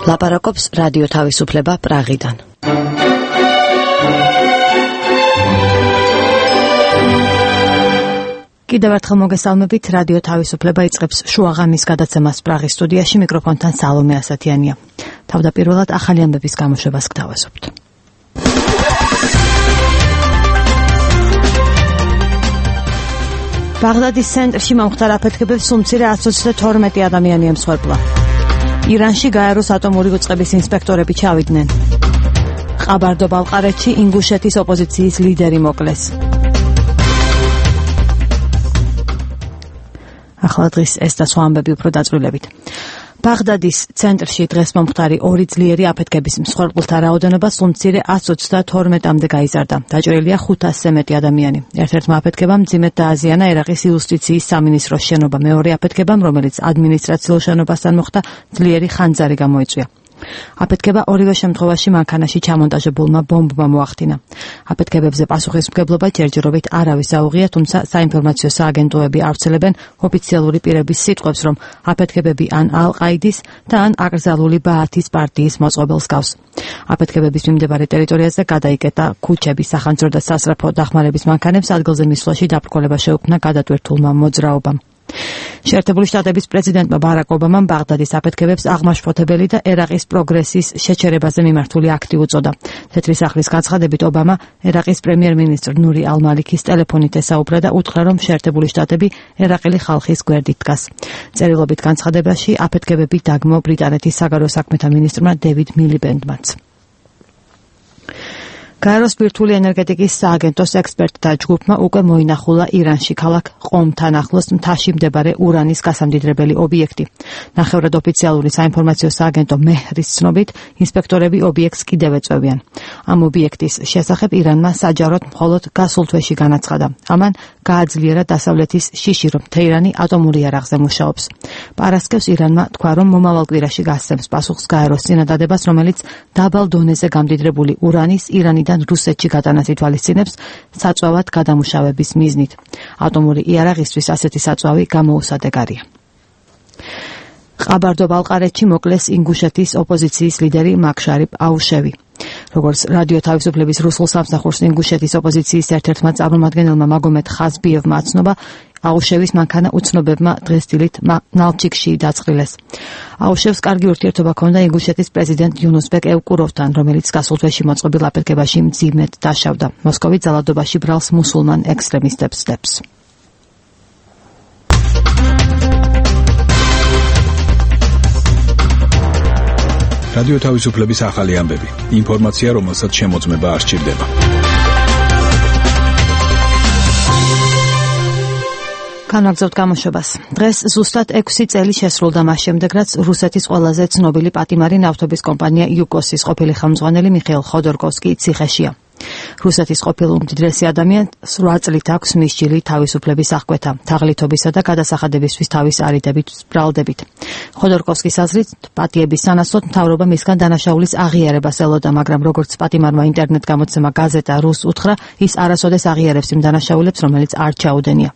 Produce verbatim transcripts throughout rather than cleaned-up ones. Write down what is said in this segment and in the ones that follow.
ლაპარაკობს რადიო თავისუფლება პრაღიდან. კიდევ ერთხელ მოგესალმებით, რადიო თავისუფლება იწყებს შუაღამის გადაცემას პრაღის სტუდიაში, მიკროფონთან სალომე ასათიანია. თავდაპირველად ახალი ამბების გამოშვებას გთავაზობთ. ბაღდადის ცენტრში მომხდარ აფეთქებებს სულ ათს ოცდათორმეტი ადამიანი ემსხვერპლა. ირანში გაეროს ატომური უწყების ინსპექტორები ჩავიდნენ. ყაბარდო-ბალყარეთში ინგუშეთის ოპოზიციის ლიდერი მოკლეს. ახლა დღის ეს და სხვა ამბები უფრო დაწვრილებით. ბაღდადის ცენტრში დღეს მომხდარი ორი ძლიერი აფეთქების მსხვერპლთა რაოდენობა სულ ათს ოცდათორმეტამდე გაიზარდა. დაჭრილია ხუთასზე მეტი ადამიანი. ერთ-ერთმა აფეთქებამ მძიმედ დააზიანა ერაყის იუსტიციის სამინისტროს შენობა. მეორე აფეთქებამ, რომელიც ადმინისტრაციულ შენობასთან მოხდა, ძლიერი ხანძარი გამოიწვია. აფეთქება ორივე შემთხვევაში მანქანაში ჩამონტაჟებულმა ბომბმა მოახდინა. აფეთქებებზე პასუხისმგებლობა ჯერჯერობით არავის აუღია, თუმცა საინფორმაციო სააგენტოები ავრცელებენ ოფიციალური პირების სიტყვებს, რომ აფეთქებები ან ალ-ყაიდის და ან აკრძალული ბაათის პარტიის მოწყობილს გავს. აფეთქებების მიმდებარე ტერიტორიაზე გადაიკეტა ქუჩების, სახანძრო და სასწრაფო დახმარების მანქანებს, ადგილზე მისვლაში დაბრკოლება შეუქმნა გადატვირთულმა მოძრაობამ. შეერთებული შტატების პრეზიდენტმა ბარაკ ობამამ ბაღდადის აფეთქებებს აღმაშფოთებელი და ერაყის პროგრესის შეჩერებაზე მიმართული აქტი უწოდა. თეთრი სახლის განცხადებით ობამა ერაყის პრემიერ-მინისტრ ნური ალ-მალიქის ტელეფონით ესაუბრა და უთხრა, რომ შეერთებული შტატები ერაყელი ხალხის გვერდით დგას. წერილობით განცხადებაში აფეთქებები დაგმო ბრიტანეთის საგარეო საქმეთა მინისტრმა დევიდ მილიბენდმაც. გაეროს ბირთვული ენერგეტიკის სააგენტოს ექსპერტთა ჯგუფმა უკვე მოინახულა ირანში ქალაქ ყომთან ახლოს მთაში მდებარე ურანის გასამდიდრებელი ობიექტი. ნახევრად ოფიციალური საინფორმაციო სააგენტო მეჰრის ცნობით, ინსპექტორები ობიექტს კიდევ ეწევიან. ამ ობიექტის შესახებ ირანმა საჯაროდ მხოლოდ გასულ თვეში განაცხადა. ამან გააძლიერა დასავლეთის შიში, რომ თეირანი ატომური იარაღზე მუშაობს. პარასკევს ირანმა თქვა, რომ მომავალ კვირაში გასცემს პასუხს გაეროს წინადადებას, რომელიც დაბალ დონეზე გამდიდრებული ურანის ირანი რუსეთში გატანას ითვალისწინებს საწვავად გადამუშავების მიზნით. ატომური იარაღისთვის ასეთი საწვავი გამოუსადეგარია. ყაბარდო-ბალყარეთში მოკლეს ინგუშეთის ოპოზიციის ლიდერი მაქშარიფ აუშევი. როგორც რადიო თავისუფლების რუსულ სამსახურს ინგუშეთის ოპოზიციის ერთ-ერთმა წარმომადგენელმა მაგომედ ხაზბიევმა აცნობა, აუშევის მანქანა უცნობებმა დღეს დილით ნალჩიკში დაწყრილეს. აუშევს კარგი ურთიერთობა ჰქონდა ინგუშეთის პრეზიდენტ იუნუსბეკ ევკუროვთან, რომელიც გასულ თვეში მოწყობილ აფეთქებაში მძიმედ დაშავდა. მოსკოვი ძალადობაში ბრალს მუსულმან ექსტრემისტებს დებს. რადიო თავისუფლების ახალი ამბები. ინფორმაცია, რომელსაც შემოწმება არ სჭირდება. განაგზავთ გამოშვებას. დღეს ზუსტად ექვსი წელი შესრულდა მას შემდეგ, რაც რუსეთის ყველაზე ცნობილი პატიმარი ნავთობის კომპანია იუკოსის ყოფილი ხელმძღვანელი მიხეილ ხოდორკოვსკი ციხეშია. რუსეთის ყოფილ უმდიდრესი ადამიანს რვა წლით აქვს მისჯილი თავისუფლების აღკვეთა, თაღლითობისა და გადასახადებისთვის თავის არიდებით ბრალდებით. ხოდორკოვსკის აზრით, პატიების სანაცვლოდ მთავრობა მისგან დანაშაულის აღიარებას ელოდა, მაგრამ როგორც პატიმარმა ინტერნეტ გამოცემა გაზეტა რუს უთხრა, ის არასოდეს აღიარებს იმ დანაშაულებს, რომელიც არ ჩაუდენია.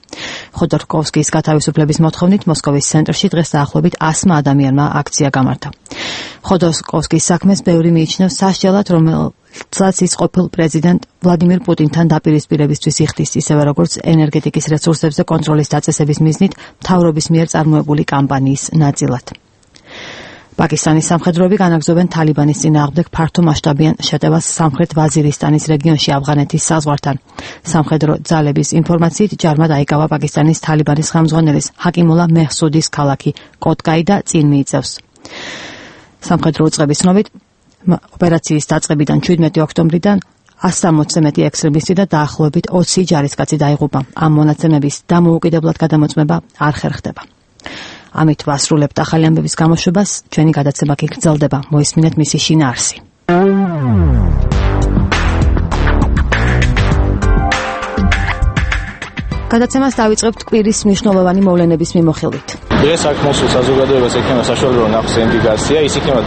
ხოდორკოვსკის გათავისუფლების მოთხოვნით მოსკოვის ცენტრში დღეს დაახლოებით ასმა ადამიანმა აქცია გამართა. ხოდორკოვსკის საქმეს ბევრი მიიჩნევს სასჯელად, რომელსაც ის ყოფილ პრეზიდენტ ვლადიმირ პუტინთან დაპირისპირებისთვის იხდის, ისევე როგორც ენერგეტიკის რესურსებზე კონტროლის დაწესების მიზნით მთავრობის მიერ წარმოებული კამპანიის ნაწილად. პაკისტანის სამხედროები განაგზობენ თალიბანის წინააღმდეგ ფართომასშტაბიან შეტევას სამხრეთ ვაზირისტანის რეგიონში ავღანეთის საზღვართან. სამხედრო ძალების ინფორმაციით ჯარმა დაიკავა პაკისტანის თალიბანის ხელმძღვანელის ჰაკიმულა მეჰსუდის ქალაქი კოტკაი და წინ მიიწევს. სამხედრო უწყების ცნობით, ოპერაციის დაწყებიდან შვიდმეტი ოქტომბრიდან ასზე მეტი ექსტრემისტი და დაახლოებით ოცი ჯარისკაცი დაიღუპა. ამ მონაცემების დამოუკიდებლად გადამოწმება არ ხერხდება. ამით ვასრულებთ ახალი ამბების გამოშვებას, ჩვენი გადაცემა კი გრძელდება. მოისმინეთ მისი შინაარსი. გადაცემას დავიწყებთ კვირის მნიშვნელოვანი მოვლენების მიმოხილვით. დღეს აქ მოსულ საზოგადოებას ექნება საშუალება რომ ნახოს ინდიკაცია, ის იქნება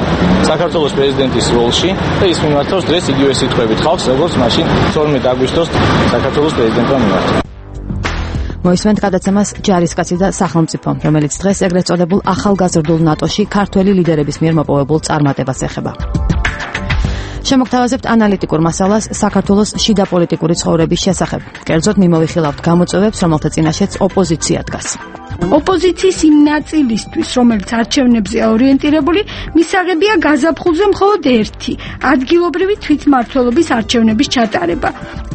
საქართველოს პრეზიდენტის როლში და ის მიმართავს დღეს იგივე სიტყვებით ხალხს, როგორც მაშინ თორმეტ აგვისტოს საქართველოს პრეზიდენტმა მიმართა. მოისმენთ გადაცემას ჯარისკაცი და სახელმწიფო, რომელიც დღეს ეგრეთ წოდებულ ახალგაზრდულ ნატოში ქართველი ლიდერების მიერ მოპოვებულ წარმატებას ეხება. შემოგთავაზებთ ანალიტიკურ მასალას საქართველოს შიდა პოლიტიკური ცხოვრების შესახებ. კერძოდ მიმოვიხილავთ გამოწვევებს, რომელთა წინაშეც ოპოზიცია დგას. ოპოზიციის იმ ნაწილისთვის, რომელიც არჩევნებზე ორიენტირებული, მისაღებია გაზაფხულზე მხოლოდ ერთი, ადგილობრივი თვითმმართველობის არჩევნების ჩატარება.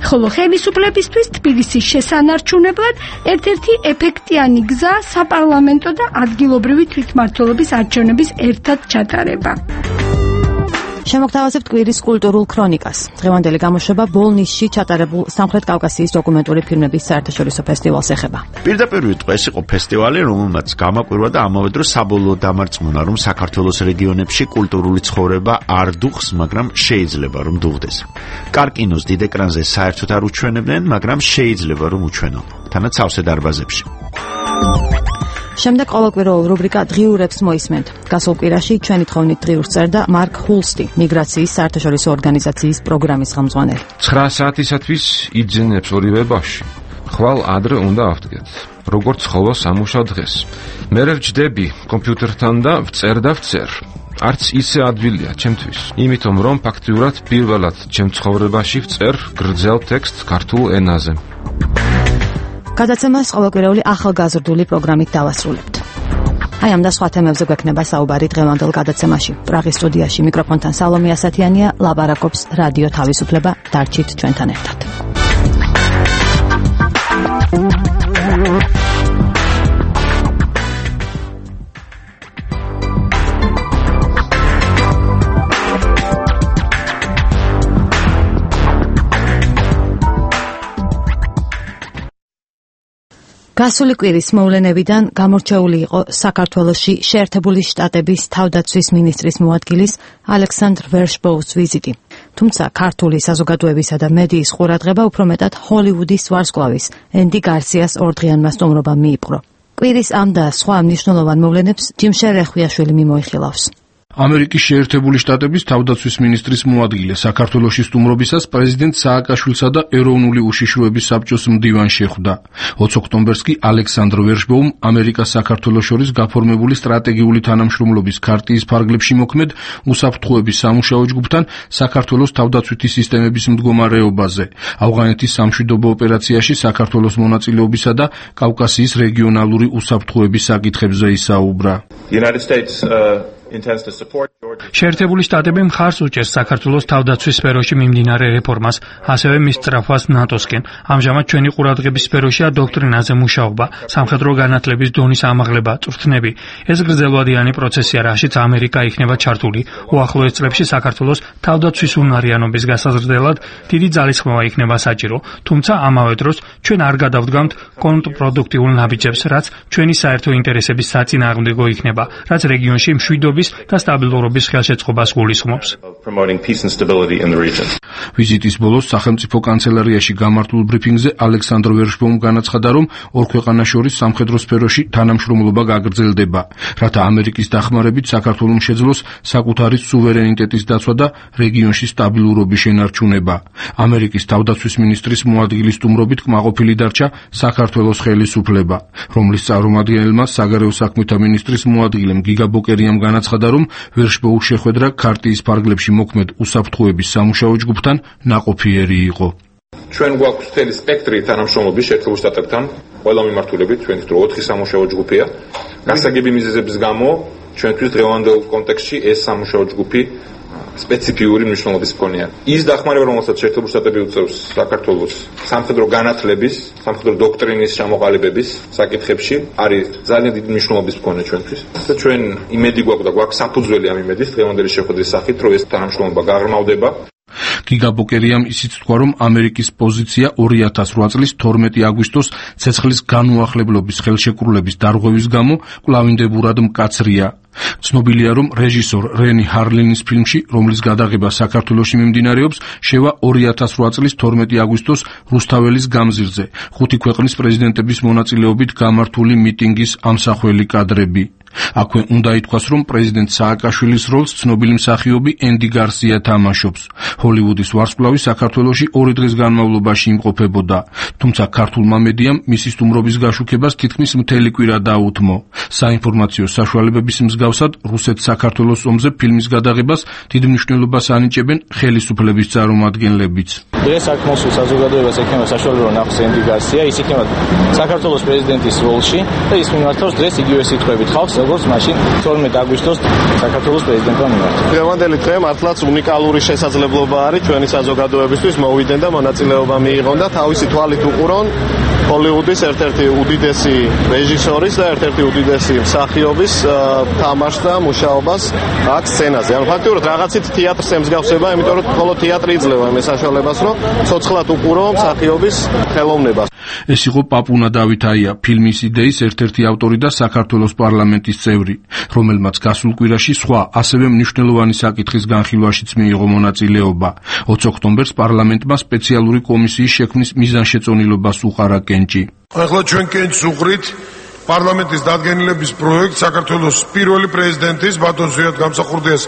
ხოლო ხელისუფლებისთვის თბილისის შესანარჩუნებლად ერთ-ერთი ეფექტიანი გზა საპარლამენტო და ადგილობრივი თვითმმართველობის არჩევნების ერთად ჩატარება. შემოგთავაზებთ კვირის კულტურულ ქრონიკას. დღევანდელი გამოშვება ბოლნისში ჩატარებულ სამხრეთ კავკასიის დოკუმენტური ფილმების საერთაშორისო ფესტივალს ეხება. პირდაპირ ეს იყო ფესტივალი, რომელმაც გამაკვირვა და ამავე დროს საბოლოო დამარწმუნა, რომ საქართველოს რეგიონებში კულტურული ცხოვრება არ დუხს, მაგრამ შეიძლება რომ დუღდეს. კარკინოს დიდ ეკრანზე საერთოდ არ უჩვენებდნენ, მაგრამ შეიძლება რომ უჩვენონ. თანაც სავსე დარბაზებში. შემდეგ ყოველკვირეულ რუბრიკა დღიურებს მოისმენთ. გასულ კვირაში ჩვენი თხოვნით დღიურს წერდა მარკ ჰულსტი, მიგრაციის საერთაშორისო ორგანიზაციის პროგრამის ხელმძღვანელი. ცხრა საათისათვის იძენებს ორივე ბავშვი. ხვალ ადრე უნდა ავდგეთ. როგორც ხოლო სამუშაო დღეს. მე ვჯდები კომპიუტერთან და ვწერ და ვწერ. არც ისე ადვილია ჩემთვის, იმიტომ რომ ფაქტიურად პირველად ჩემ ცხოვრებაში ვწერ გრძელ ტექსტს ქართულ ენაზე. გადაცემას ყოველკვირეული ახალგაზრდული პროგრამით დავასრულებთ. აი ამ და სხვა თემებზე გვექნება საუბარი დღევანდელ გადაცემაში. პრაღის სტუდიაში მიკროფონთან სალომე ასათიანია, ლაპარაკობს რადიო თავისუფლება. დარჩით ჩვენთან ერთად. გასული კვირის მოვლენებიდან გამორჩეული იყო საქართველოში შეერთებული შტატების თავდაცვის მინისტრის მოადგილის ალექსანდრ ვერშბოუს ვიზიტი. თუმცა ქართული საზოგადოებისა და მედიის ყურადღება უფრო მეტად ჰოლივუდის ვარსკვლავის ენდი გარსიას ორდღიანმა სტუმრობამ მიიპყრო. კვირის ამ და სხვა მნიშვნელოვან მოვლენებს ჯიმშერ რეხვიაშვილი მიმოიხილავს. ამერიკის შეერთებული შტატების თავდაცვის მინისტრის მოადგილე საქართველოში სტუმრობისას პრეზიდენტ სააკაშვილსა და ეროვნული უშიშროების საბჭოს მდივანს შეხვდა. ოცი ოქტომბერს კი ალექსანდრ ვერშბოუმ ამერიკას საქართველოს შორის გაფორმებული სტრატეგიული თანამშრომლობის ქარტიის ფარგლებში მოქმედ უსაფრთხოების სამუშაო ჯგუფთან საქართველოს თავდაცვითი სისტემების მდგომარეობაზე, ავღანეთის სამშვიდობო ოპერაციაში საქართველოს მონაწილეობისა და კავკასიის რეგიონალური უსაფრთხოების საკითხებზე ისაუბრა. შეერთებული შტატები მხარს უჭერს საქართველოს თავდაცვის სფეროში მიმდინარე რეფორმას, ასევე მის სწრაფვას ნატოსკენ. ამჟამად ჩვენი ყურადღების სფეროშია დოქტრინაზე მუშაობა, სამხედრო განათლების დონის ამაღლება, წვრთნები. ეს გრძელვადიანი პროცესია, რაშიც ამერიკა იქნება ჩართული. უახლოეს წლებში საქართველოს თავდაცვის უნარიანობის გასაზრდელად დიდი ძალისხმევა იქნება საჭირო, თუმცა ამავე დროს ჩვენ არ გადავდგამთ კონტრპროდუქტიულ ნაბიჯებს, რაც ჩვენი საერთო ინტერესების საწინააღმდეგო იქნება, რაც რეგიონში მშვიდობის და სტაბილურობის ხელშეწყობას გულისხმობს. ვიზიტის ბოლოს სახელმწიფო კანცელარიაში გამართულ ბრიფინგზე ალექსანდრ ვერშბოუმ განაცხადა, რომ ორ ქვეყანას შორის სამხედრო სფეროში თანამშრომლობა გაგრძელდება, რათა ამერიკის დახმარებით საქართველოს შეძლოს საკუთარი სუვერენიტეტის დაცვა და რეგიონში სტაბილურობის შენარჩუნება. ამერიკის თავდაცვის მინისტრის მოადგილის სტუმრობით კმაყოფილი დარჩა საქართველოს ხელისუფლება, რომლის წარმომადგენელმა საგარეო საქმეთა მინისტრის მოადგილემ გიგა ბოკერიამ განაცხადა, რომ ვერშბოუმის შეხვედრა ქარტიის ფარგლებში მოქმედ უსაფრთხოების სამუშაო ჯგუფთან ნაყოფიერი იყო. ჩვენ გვაქვს მთელი სპექტრი თანამშრომლობის შეერთებულ შტატებთან, ყველა მიმართულებით, ჩვენთვის ოთხი სამუშაო ჯგუფია. გასაგები მიზეზების გამო ჩვენთვის დღევანდელ კონტექსტში ეს სამუშაო ჯგუფი სპეციფიური მნიშვნელობის მქონეა. ის დახმარება, რომელსაც შეერთებული შტატები უწევს საქართველოს სამხედრო განათლების, სამხედრო დოქტრინის ჩამოყალიბების საკითხებში, არის ძალიან დიდი მნიშვნელობის მქონე ჩვენთვის. და ჩვენ იმედი გვაქვს და გვაქვს საფუძველი ამ იმედის დღევანდელი შეხვედრის სახით, რომ ეს თანამშრომლობა გაღრმავდება. გიგა ბოკერიამ ისიც თქვა, რომ ამერიკის პოზიცია ორი ათას რვა წლის თორმეტი აგვისტოს ცეცხლის განუახლებლობის ხელშეკრულების დარღვევის გამო კვლავინდებურად მკაცრია. ცნობილია, რომ რეჟისორ რენი ჰარლინის ფილმში, რომლის გადაღება საქართველოში მიმდინარეობს, შევა ორი ათას რვა წლის თორმეტი აგვისტოს რუსთაველის გამზირზე, ხუთი ქვეყნის პრეზიდენტების მონაწილეობით გამართული მიტინგის ამსახველი კადრები. აქვე უნდა ითქვას, რომ პრეზიდენტ სააკაშვილის როლს ცნობილი მსახიობი ენდი გარსია თამაშობს. ჰოლივუდის ვარსკვლავი საქართველოში ორი დღის განმავლობაში იმყოფებოდა, თუმცა ქართულმა მედიამ მისი სტუმრობის გაშუქებას თითქმის მთელი კვირა დაუთმო. საინფორმაციო საშუალებების მსგავსად, რუსეთ-საქართველოს ომზე ფილმის გადაღებას დიდ მნიშვნელობას ანიჭებენ ხელისუფლების წარმომადგენლებიც. დღეს აქ მოსულ საზოგადოებას ექნება საშუალება რომ ნახოს ენდი გარსია, ის იქნება საქართველოს პრეზიდენტის როლში და ის მიმართავს დღეს იგივე სიტყვებით ხალხს, როგორც მაშინ თორმეტ აგვისტოს საქართველოს პრეზიდენტმა მიმართა. დღევანდელი დღე მართლაც უნიკალური შესაძლებლობა არის ჩვენი საზოგადოებისთვის მოვიდნენ და მონაწილეობა მიიღონ და თავისი თვალით უყურონ ჰოლივუდის ერთ-ერთი უდიდესი რეჟისორის და ერთ-ერთი უდიდესი მსახიობის თამაშს და მუშაობას აქ სცენაზე. ანუ ფაქტობრივად რაღაცით თეატრს ემსგავსება, იმიტომ რომ მხოლოდ თეატრი იძლევა იმ საშუალებას, რომ ცოცხლად უყურო მსახიობის ხელოვნებას. ეს იყო პაპუნა დავითაია, ფილმის იდეის ერთ-ერთი ავტორი და საქართველოს პარლამენტის წევრი, რომელმაც გასულ კვირაში სხვა ასევე მნიშვნელოვანი საკითხის განხილვაშიც მიიღო მონაწილეობა. ოცი ოქტომბერს პარლამენტმა სპეციალური კომისიის შექმნის მიზანშეწონილობას უყარა კენჭი. ახლა ჩვენ კენჭს უყრით პარლამენტის დადგენილების პროექტ საქართველოს პირველი პრეზიდენტის ბატონ ზვიად გამსახურდიას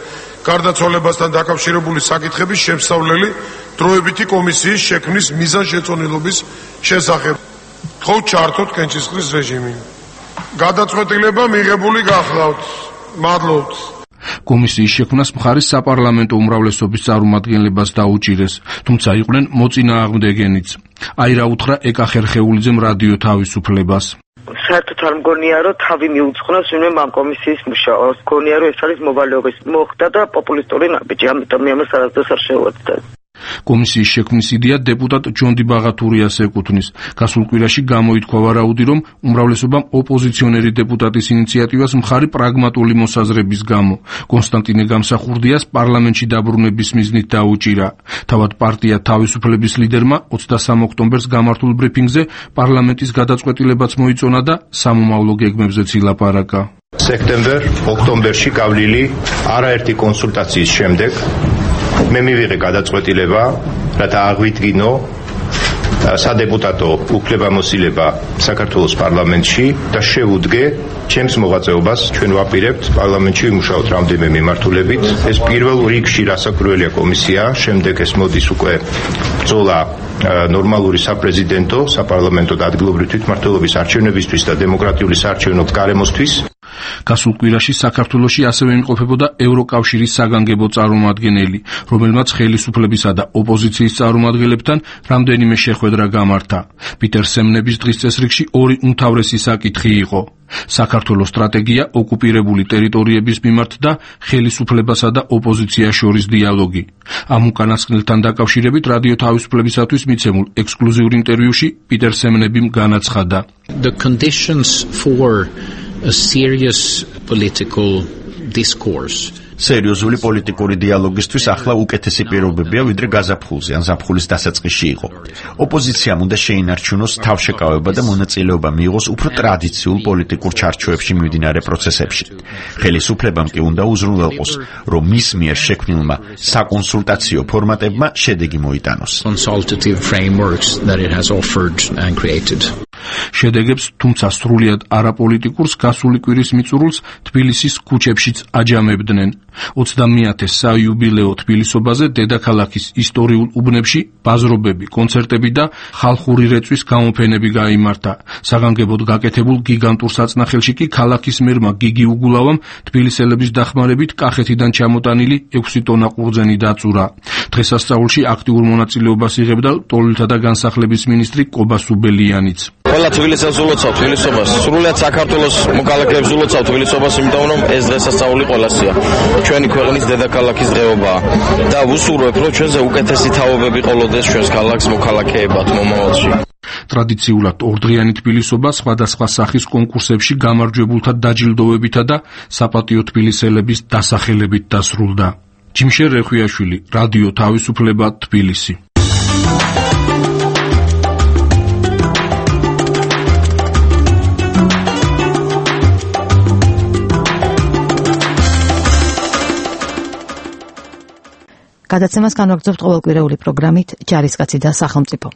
გარდაცვალებასთან დაკავშირებული საკითხების შემსწავლელი დროებითი კომისიის შექმნის მიზანშეწონილობის შესახებ. ხო ჩართოთ კენჭისყრის რეჟიმი. გადაწყვეტილება მიღებული გახლავთ. მადლობთ. კომისიის შექმნას მხარის საპარლამენტო უმრავლესობის წარმომადგენლებას დაუჭირეს, თუმცა იყვნენ მოწინააღმდეგენიც. აი რა უთხრა ეკა ხერხეულიძემ რადიო თავისუფლებას. საერთოდ არ მგონია, რომ თავი მიუძღვნოს ვინმე ამ კომისიის მუშაობას. მგონია, რომ ეს არის მოვალეობის მოხდა და პოპულისტური ნაბიჯი, ამიტომ ამას არასდროს არ შევუერთდა. კომისიის შექმნის იდეა დეპუტატ ჯონდი ბაღათურიას ეკუთვნის. გასულ კვირაში გამოითქვა ვარაუდი, რომ უმრავლესობამ ოპოზიციონერი დეპუტატის ინიციატივას მხარი პრაგმატული მოსაზრების გამო კონსტანტინე გამსახურდიას პარლამენტში დაბრუნების მიზნით დაუჭირა. თავად პარტია თავისუფლების ლიდერმა ოცდასამი ოქტომბერს გამართულ ბრიფინგზე პარლამენტის გადაწყვეტილებაც მოიწონა და სამომავლო გეგმებზეც ილაპარაკა. სექტემბერ-ოქტომბერში გავლილი არაერთი კონსულტაციის შემდეგ მე მივიღე გადაწყვეტილება, რათა აღვიდგინო სადეპუტატო უფლებამოსილება საქართველოს პარლამენტში და შევუდგე ჩემს მოღვაწეობას. ჩვენ ვაპირებთ პარლამენტში ვიმუშაოთ რამდენიმე მიმართულებით. ეს პირველ რიგში რასაკვირველია კომისია, შემდეგ ეს მოდის უკვე ბრძოლა ნორმალური საპრეზიდენტო, საპარლამენტო და ადგილობრივი თვითმმართველობის არჩევნებისთვის და დემოკრატიული საარჩევნო გარემოსთვის. გასულ კვირაში საქართველოში ასევე იმყოფებოდა ევროკავშირის საგანგებო წარმომადგენელი, რომელმაც ხელისუფლებისა და ოპოზიციის წარმომადგენლებთან რამდენიმე შეხვედრა გამართა. პიტერ სემნების დღის წესრიგში ორი უმთავრესი საკითხი იყო: საქართველოს სტრატეგია ოკუპირებული ტერიტორიების მიმართ და ხელისუფლებასა და ოპოზიციას შორის დიალოგი. ამ უკანასკნელთან დაკავშირებით რადიო თავისუფლებისათვის მიცემულ ექსკლუზიურ ინტერვიუში პიტერ სემნებიმ განაცხადა. The conditions for a serious political discourse. სერიოზული პოლიტიკური დიალოგისთვის ახლა უკეთესი პირობებია, ვიდრე გაზაფხულზე ან ზაფხულის დასაწყისში იყო. ოპოზიციამ უნდა შეინარჩუნოს თავშეკავება და მონაწილეობა მიიღოს უფრო ტრადიციულ პოლიტიკურ ჩარჩოებში მიმდინარე პროცესებში. ხელისუფლებამ კი უნდა უზრუნველყოს, რომ მის მიერ შექმნილმა საკონსულტაციო ფორმატებმა შედეგი მოიტანოს. Consultative frameworks that it has offered and created. შედეგებს, თუმცა სრულიად არაპოლიტიკურს გასული კვირის მიწურულს თბილისის ქუჩებშიც აჯამებდნენ. ოცდამეათე საიუბილეო თბილისობაზე დედაქალაქის ისტორიულ უბნებში ბაზრობები, კონცერტები და ხალხური რეწვის გამოფენები გაიმართა. საგანგებოდ გაკეთებულ გიგანტურ საწნახელში კი ქალაქის მერმა გიგი უგულავამ თბილისელების დახმარებით კახეთიდან ჩამოტანილი ექვსი ტონა ყურძენი დაწურა. დღესასწაულში აქტიურ მონაწილეობას იღებდა ლტოლვილთა და განსახლების მინისტრი კობა სუბელიანიც. ყველა თბილისელს ულოცავ თბილისობას, სრულიად საქართველოს მოკალაკეებს ულოცავ თბილისობას, იმიტომ რომ ეს დღესასწაული ყველასია. ჩვენი ქვეყნის დედაქალაქის დღეობაა და ვუსურვებ, რომ ჩვენზე უკეთესი თაობები ყოლოდეს ჩვენს ქალაქს მოქალაქეებად მომავალში. ტრადიციულად ორდღიანი თბილისობა სხვადასხვა სახის კონკურსებში გამარჯვებულთა დაჯილდოვებითა და საპატიო თბილისელების დასახელებით დასრულდა. ჯიმშე რეხვიაშვილი, რადიო თავისუფლება, თბილისი. გადაცემას განვაგრძობთ ყოველკვირეული პროგრამით ჯარისკაცი და სახელმწიფო.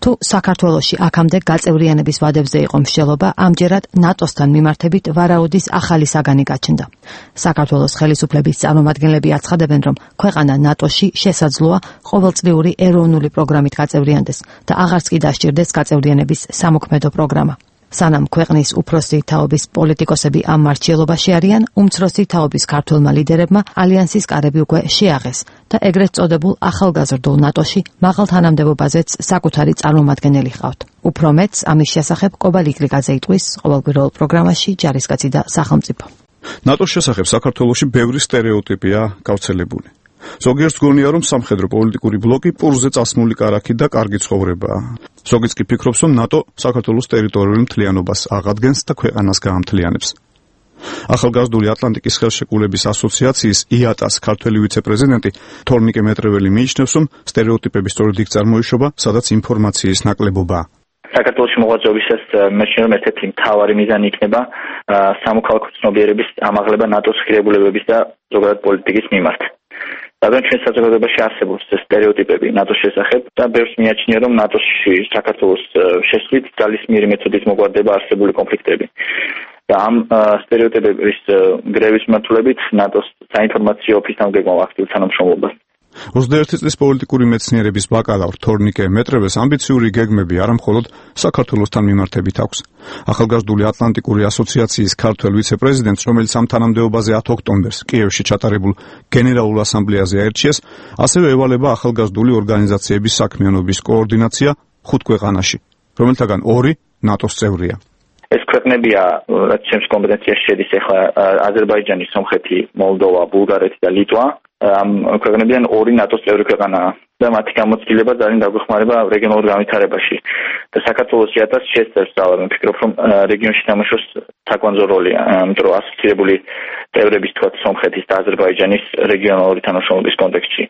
თუ საქართველოში აქამდე გაწევრიანების ვადებზე იყო მსჯელობა, ამჯერად ნატოსთან მიმართებით ვარაუდის ახალი საგანი გაჩნდა. საქართველოს ხელისუფლების წარმომადგენლები აცხადებენ, რომ ქვეყანა ნატოში შესაძლოა ყოველწლიური ეროვნული პროგრამით გაწევრიანდეს და აღარც კი დასჭირდეს გაწევრიანების სამოქმედო პროგრამა. სანამ ქვეყნის უფროსი თაობის პოლიტიკოსები ამ მარჩიელობაში არიან, უმცროსი თაობის ქართველმა ლიდერებმა ალიანსის კარები უკვე შეაღეს და ეგრეთ წოდებულ ახალგაზრდულ ნატოში მაღალ თანამდებობაზეც საკუთარი წარმომადგენელი ჰყავთ. უფრო მეტს ამის შესახებ კობალ იგრიგაძე იტყვის ყოველკვირეულ პროგრამაში ჯარისკაცი და სახელმწიფო. ნატოს შესახებ საქართველოში ბევრი სტერეოტიპია გავრცელებული. ზოგიერთს გონია, რომ სამხედრო პოლიტიკური ბლოკი პურზე წასმული კარაქი და კარგი ცხოვრებაა. ზოგიც კი ფიქრობს, რომ ნატო საქართველოს ტერიტორიული მთლიანობას აღადგენს და ქვეყანას გაამთლიანებს. ახალგაზრდული ატლანტიკის ხელშეკრულების ასოციაციის ია-ტას ქართველი ვიცე-პრეზიდენტი თორნიკე მეტრეველი მიიჩნევს, რომ სტერეოტიპების სწორედ იქ წარმოიშობა, სადაც ინფორმაციის ნაკლებობაა. საქართველოში მოღვაწეობისას მეჩნია, რომ ერთ-ერთი მთავარი მიზანი იქნება სამოქალაქო ცნობიერების ამაღლება ნატოს ღირებულებების და ზოგადად პოლიტიკის მიმართ. რადგან ჩვენ საზოგადოებაში არსებობს სტერეოტიპები ნატოს შესახებ და ბევრს მიაჩნია, რომ ნატოში საქართველოს შესვლით ძალისმიერი მეთოდით მოგვარდება არსებული კონფლიქტები. და ამ სტერეოტიპების გრევის მიმართულებით ნატოს საინფორმაციო ოფისთან გეგმავ აქტიურ თანამშრომლობას. ოცდაერთი წლის პოლიტიკური მეცნიერების ბაკალავრ თორნიკე მეტრევეს ამბიციური გეგმები არა მხოლოდ საქართველოსთან მიმართებით აქვს. ახალგაზრდული ატლანტიკური ასოციაციის ქართველ ვიცე-პრეზიდენტს, რომელიც ამ თანამდებობაზე ათი ოქტომბერს კიევში ჩატარებულ გენერალურ ასამბლეაზე აირჩიეს, ასევე ევალება ახალგაზრდული ორგანიზაციების საქმიანობის კოორდინაცია ხუთ ქვეყანაში, რომელთაგან ორი ნატოს წევრია. ეს ქვეყნებია, რაც ჩემს კომპეტენციაში შედის, ახლა აზერბაიჯანი, სომხეთი, მოლდოვა, ბულგარეთი და ლიტვა. ამ ქვეყნებიდან ორი ნატოს წევრი ქვეყანაა და მათი გამოცდილება ძალიან დაგვეხმარება რეგიონულ განვითარებაში. და საქართველოს ია-ტას შესწევს ძალად, ვფიქრობ, რომ რეგიონში თამაშობს თაგვანძო როლი, იმიტომ რომ ასოცირებული წევრების თქვა სომხეთის და აზერბაიჯანის რეგიონალური თანამშრომლობის კონტექსტში.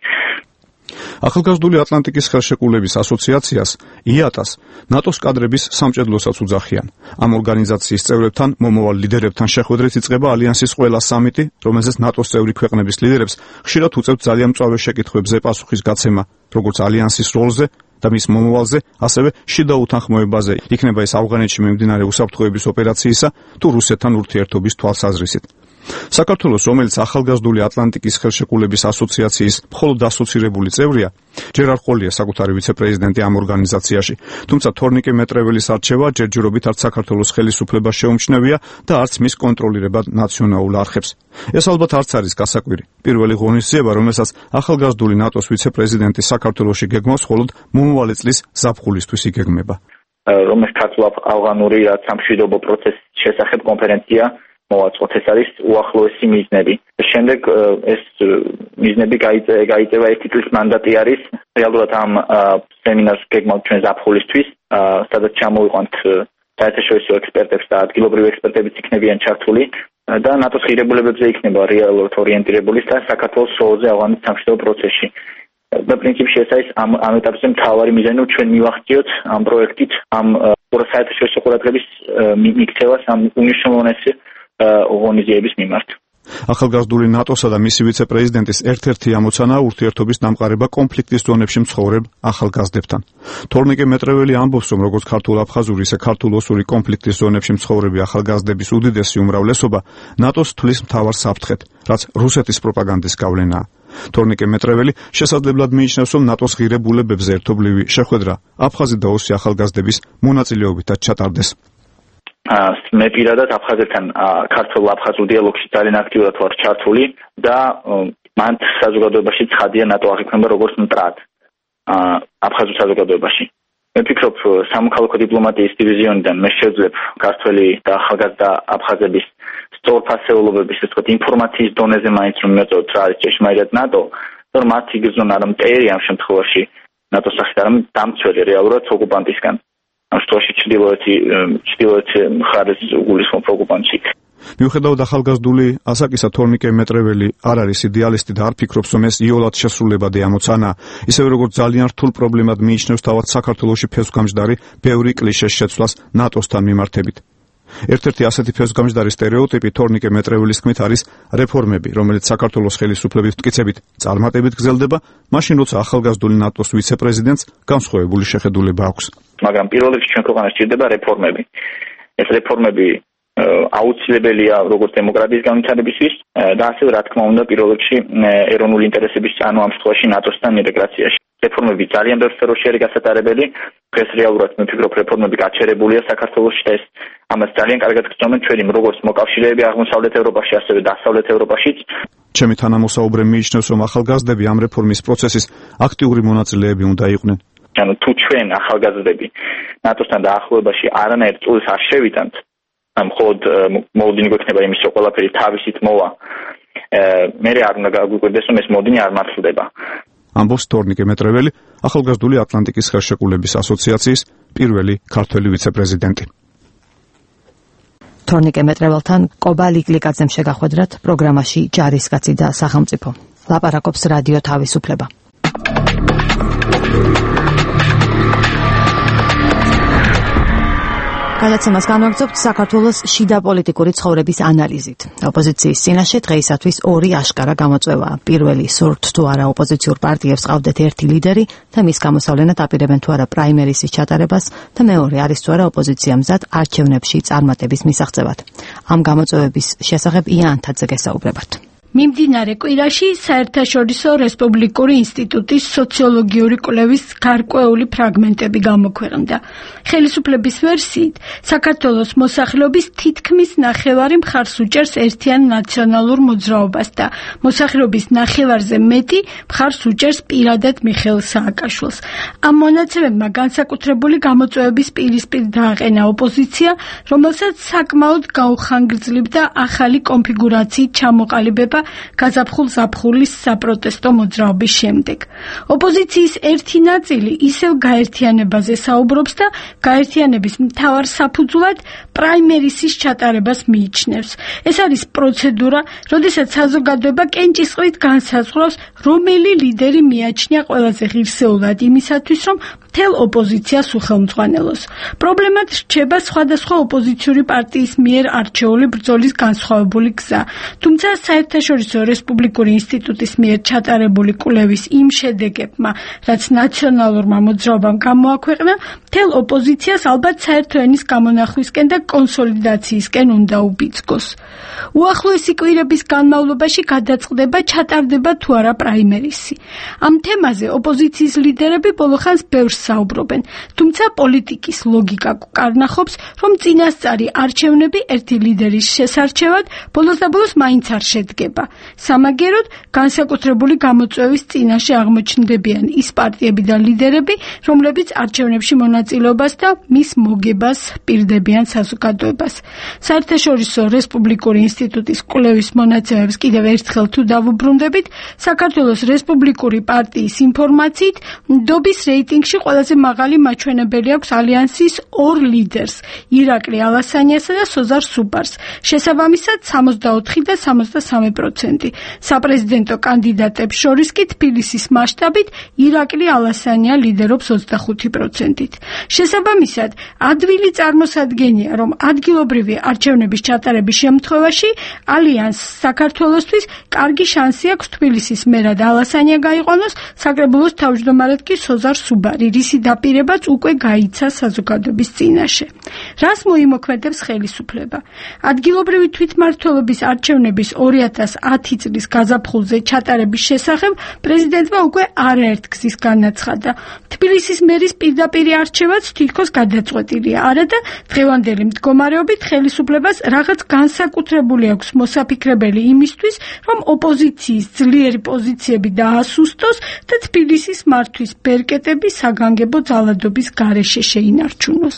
ახალგაზრდული ატლანტიკის ხელშეკრულების ასოციაციას ია-ტას ნატოს კადრების სამჭედლოსაც უძახიან. ამ ორგანიზაციის წევრებთან, მომავალ ლიდერებთან შეხვედრით იწყება ალიანსის ყველა სამიტი, რომელზეც ნატოს წევრი ქვეყნების ლიდერებს ხშირად უწევთ ძალიან მწვავე შეკითხვებზე პასუხის გაცემა, როგორც ალიანსის როლზე და მის მომავალზე, ასევე შიდა უთანხმოებაზე, იქნება ეს ავღანეთში მიმდინარე უსაფრთხოების ოპერაციისა თუ რუსეთთან ურთიერთობის თვალსაზრისით. საქართველოს, რომელიც ახალგაზრდული ატლანტიკის ხელშეკრულების ასოციაციის მხოლოდ ასოცირებული წევრია, ჯერ არ ყოლია საკუთარი ვიცე-პრეზიდენტი ამ ორგანიზაციაში, თუმცა თორნიკე მეტრეველის არჩევა ჯერჯერობით არც საქართველოს ხელისუფლებას შეუმჩნევია და არც მის კონტროლირება ნაციონალურ არხებს. ეს ალბათ არც არის გასაკვირი. პირველი ღონისძიება, რომელსაც ახალგაზრდული ნატოს ვიცე-პრეზიდენტი საქართველოში გეგმავს, მხოლოდ მომავალი წლის ზაფხულისთვის იგეგმება. რომელიც ქართულ-ავღანური სამშვიდობო პროცესის შესახებ კონფერენცია მოვაწყოთ, ეს არის უახლოესი მიზნები. შემდეგ ეს მიზნები გაიწევა ერთი წლის მანდატი არის. რეალურად ამ სემინარს გეგმავთ ჩვენ ზაფხულისთვის, სადაც ჩამოვიყვანთ საერთაშორისო ექსპერტებს და ადგილობრივი ექსპერტებიც იქნებიან ჩართული და ნატოს ღირებულებებზე იქნება რეალურად ორიენტირებული და საქართველოს როლზე ავღანის სამშვიდობო პროცესში. და პრინციპში ეს არის ამ ამ ეტაპზე მთავარი მიზანი, რომ ჩვენ მივახციოთ ამ პროექტით ამ საერთაშორისო ყურადღების მიქცევას ამ უნიშნულოვანესი ორგანიზაციების მიმართ. ახალგაზრდული ნატოსა და მისი ვიცე-პრეზიდენტის ერთ-ერთი ამოცანაა ურთიერთობის დამყარება კონფლიქტის ზონებში მცხოვრებ ახალგაზრდებთან. თორნიკე მეტრეველი ამბობს, რომ როგორც ქართულ-აფხაზური, ისე ქართულ-ოსური კონფლიქტის ზონებში მცხოვრები ახალგაზრდების უდიდესი უმრავლესობა ნატოს თვლის მთავარ საფრთხედ, რაც რუსეთის პროპაგანდის გავლენაა. თორნიკე მეტრეველი შესაძლებლად მიიჩნევს, რომ ნატოს ღირებულებებზე ერთობლივი შეხვედრა აფხაზი და ოსი ახალგაზრდების მონაწილეობითაც ჩატარდეს. მე პირადად აფხაზეთთან ქართულ-აფხაზურ დიალოგში ძალიან აქტიურად ვარ ჩართული და მან საზოგადოებაში ცხადია ნატო აღიქმება როგორც მტრად აფხაზურ საზოგადოებაში. მე ვფიქრობ, სამოქალაქო დიპლომატიის დივიზიონიდან მე შევძლებ ქართველი და ახალგაზრდა აფხაზების სწორფასეულობების, ასე ვთქვათ, ინფორმაციის დონეზე მაინც რომ მეწოდოთ რა არის ჭეშმარიტად ნატო, რომ მათ იგრძნონ არა მტერი ამ შემთხვევაში ნატოს სახით, არამედ დამცველი რეალურად ოკუპანტისგან. ამ შემთხვევაში ჩრდილოეთი ჩრდილოეთი მხარეს უგულისხმობ ოკუპანტში. მიუხედავად ახალგაზრდული ასაკისა, თორნიკე მეტრეველი არ არის იდეალისტი და არ ფიქრობს, რომ ეს იოლად შესრულებადი ამოცანაა. ისევე როგორც ძალიან რთულ პრობლემად მიიჩნევს თავად საქართველოში ფესვგამჯდარი ბევრი კლიშეს შეცვლას ნატოსთან მიმართებით. ერთ-ერთი ასეთი ფესვგამჯდარი სტერეოტიპი თორნიკე მეტრეველის თქმით არის რეფორმები, რომელიც საქართველოს ხელისუფლების მტკიცებით წარმატებით გრძელდება, მაშინ როცა ახალგაზრდული ნატოს ვიცე-პრეზიდენტს განსხვავებული შეხედულება აქვს. მაგრამ პირველ რიგში ჩვენ ქვეყანას სჭირდება რეფორმები. ეს რეფორმები აუცილებელია როგორც დემოკრატიის განვითარებისთვის და ასევე რა თქმა უნდა პირველ რიგში ეროვნული ინტერესების ანუ ამ შემთხვევაში ნატოსთან ინტეგრაციაში. რეფორმები ძალიან ბევრ სფეროში არის გასატარებელი. დღეს რეალურად მე ვფიქრობ რეფორმები გაჩერებულია საქართველოში და ეს ამას ძალიან კარგად გწნობენ ჩვენი როგორც მოკავშირეები აღმოსავლეთ ევროპაში, ასევე დასავლეთ ევროპაშიც. ჩემი თანამოსაუბრე მიიჩნევს, რომ ახალგაზრდები ამ რეფორმის პროცესის აქტიური მონაწილეები უნდა იყვნენ. ანუ თუ ჩვენ ახალგაზრდები ნატოსთან დაახლოებაში არანაირ წვლილს არ შევიტანთ, მხოლოდ მოლოდინი გვექნება იმის, რომ ყველაფერი თავისით მოვა, მე არ უნდა გაგვიკვირდეს, რომ ეს მოლოდინი არ მართლდება. ამბობს თორნიკე მეტრეველი, ახალგაზრდული ატლანტიკის ხელშეკრულების ასოციაციის პირველი ქართველი ვიცე-პრეზიდენტი. თორნიკე მეტრეველთან კობა ლიკლიკაძემ შეგახვედრათ პროგრამაში ჯარისკაცი და სახელმწიფო. ლაპარაკობს რადიო თავისუფლება. გადაცემას განვაგრძობთ საქართველოს შიდა პოლიტიკური ცხოვრების ანალიზით. ოპოზიციის წინაშე დღეისათვის ორი აშკარა გამოწვევაა. პირველი, სურთ თუ არა ოპოზიციურ პარტიებს ყავდეთ ერთი ლიდერი და მის გამოსავლენად აპირებენ თუ არა პრაიმერისის ჩატარებას და მეორე არის თუ არა ოპოზიცია მზად არჩევნებში წარმატების მისაღწევად. ამ გამოწვევების შესახებ იან თაძე გესაუბრებათ. მიმდინარე კვირაში საერთაშორისო რესპუბლიკური ინსტიტუტის სოციოლოგიური კვლევის გარკვეული ფრაგმენტები გამოქვეყნდა. ხელისუფლების ვერსიით, საქართველოს მოსახლეობის თითქმის ნახევარი მხარს უჭერს ერთიან ნაციონალურ მოძრაობას და მოსახლეობის ნახევარზე მეტი მხარს უჭერს პირადად მიხეილ სააკაშვილს. ამ მონაცემებმა განსაკუთრებული გამოწვევების პირისპირ დააყენა ოპოზიცია, რომელსაც საკმაოდ გაუხანგრძლივდა ახალი კონფიგურაციით ჩამოყალიბება გაზაფხულ-ზაფხულის საპროტესტო მოძრაობის შემდეგ. ოპოზიციის ერთი ნაწილი ისევ გაერთიანებაზე საუბრობს და გაერთიანების მთავარ საფუძვლად პრაიმერისის ჩატარებას მიიჩნევს. ეს არის პროცედურა, როდესაც საზოგადოება კენჭისყრით განსაზღვრავს, რომელი ლიდერი მიაჩნია ყველაზე ღირსეულად იმისათვის, რომ მთელ ოპოზიციას უხელმძღვანელოს. პრობლემად რჩება სხვადასხვა ოპოზიციური პარტიის მიერ არჩეული ბრძოლის განსხვავებული გზა. თუმცა საერთაშორისო რესპუბლიკური ინსტიტუტის მიერ ჩატარებული კვლევის იმ შედეგებმა, რაც ნაციონალურმა მოძრაობამ გამოაქვეყნა, მთელ ოპოზიციას ალბათ საერთო ენის გამონახვისკენ და კონსოლიდაციისკენ უნდა უბიძგოს. უახლოესი კვირების განმავლობაში გადაწყდება ჩატარდება თუ არა პრაიმერისი. ამ თემაზე ოპოზიციის ლიდერები ბოლოხანს ბევრს საუბრობენ, თუმცა პოლიტიკის ლოგიკა კარნახობს, რომ წინასწარი არჩევნები ერთი ლიდერის შესარჩევად ბოლოს და ბოლოს მაინც არ შედგება. სამაგეროდ განსაკუთრებული გამოწვევის წინაშე აღმოჩნდებიან ის პარტიები და ლიდერები, რომლებიც არჩევნებში მონაწილეობას და მის მოგებას პირდებიან საზოგადოებას. საერთაშორისო რესპუბლიკური ინსტიტუტის კვლევის მონაცემებს კიდევ ერთხელ თუ დავუბრუნდებით, საქართველოს რესპუბლიკური პარტიის ინფორმაციით, ნდობის რეიტინგში ყველაზე მაღალი მაჩვენებელი აქვს ალიანსის ორ ლიდერს, ირაკლი ალასანიასა და სოზარ სუპარს, შესაბამისად სამოცდაოთხი და სამოცდასამი პროცენტი. საპრეზიდენტო კანდიდატებს შორის კი თბილისის მასშტაბით ირაკლი ალასანია ლიდერობს ოცდახუთი პროცენტით. შესაბამისად, ადვილი წარმოსადგენია, რომ ადგილობრივი არჩევნების ჩატარების შემთხვევაში ალიანს საქართველოსთვის კარგი შანსი აქვს თბილისის მერად ალასანია გაიყვანოს, საკრებულოს თავმჯდომარედ კი სოზარ სუბარი, რისი დაპირებაც უკვე გაიცა საზოგადოების წინაშე. რას მოიმოქმედებს ხელისუფლება? ადგილობრივი თვითმმართველობის არჩევნების ორი ათას ათი წლის გაზაფხულზე ჩატარების შესახებ პრეზიდენტმა უკვე არაერთ გზის განაცხადა. თბილისის მერის პირდაპირი არჩევაც თითქოს გადაწყვეტილია. არა და დღევანდელი მდგომარეობით ხელისუფლებას რაღაც განსაკუთრებული აქვს მოსაფიქრებელი იმისთვის, რომ ოპოზიციის ძლიერი პოზიციები დაასუსტოს და თბილისის მართვის ბერკეტები საგანგებო ძალადობის გარეშე შეინარჩუნოს.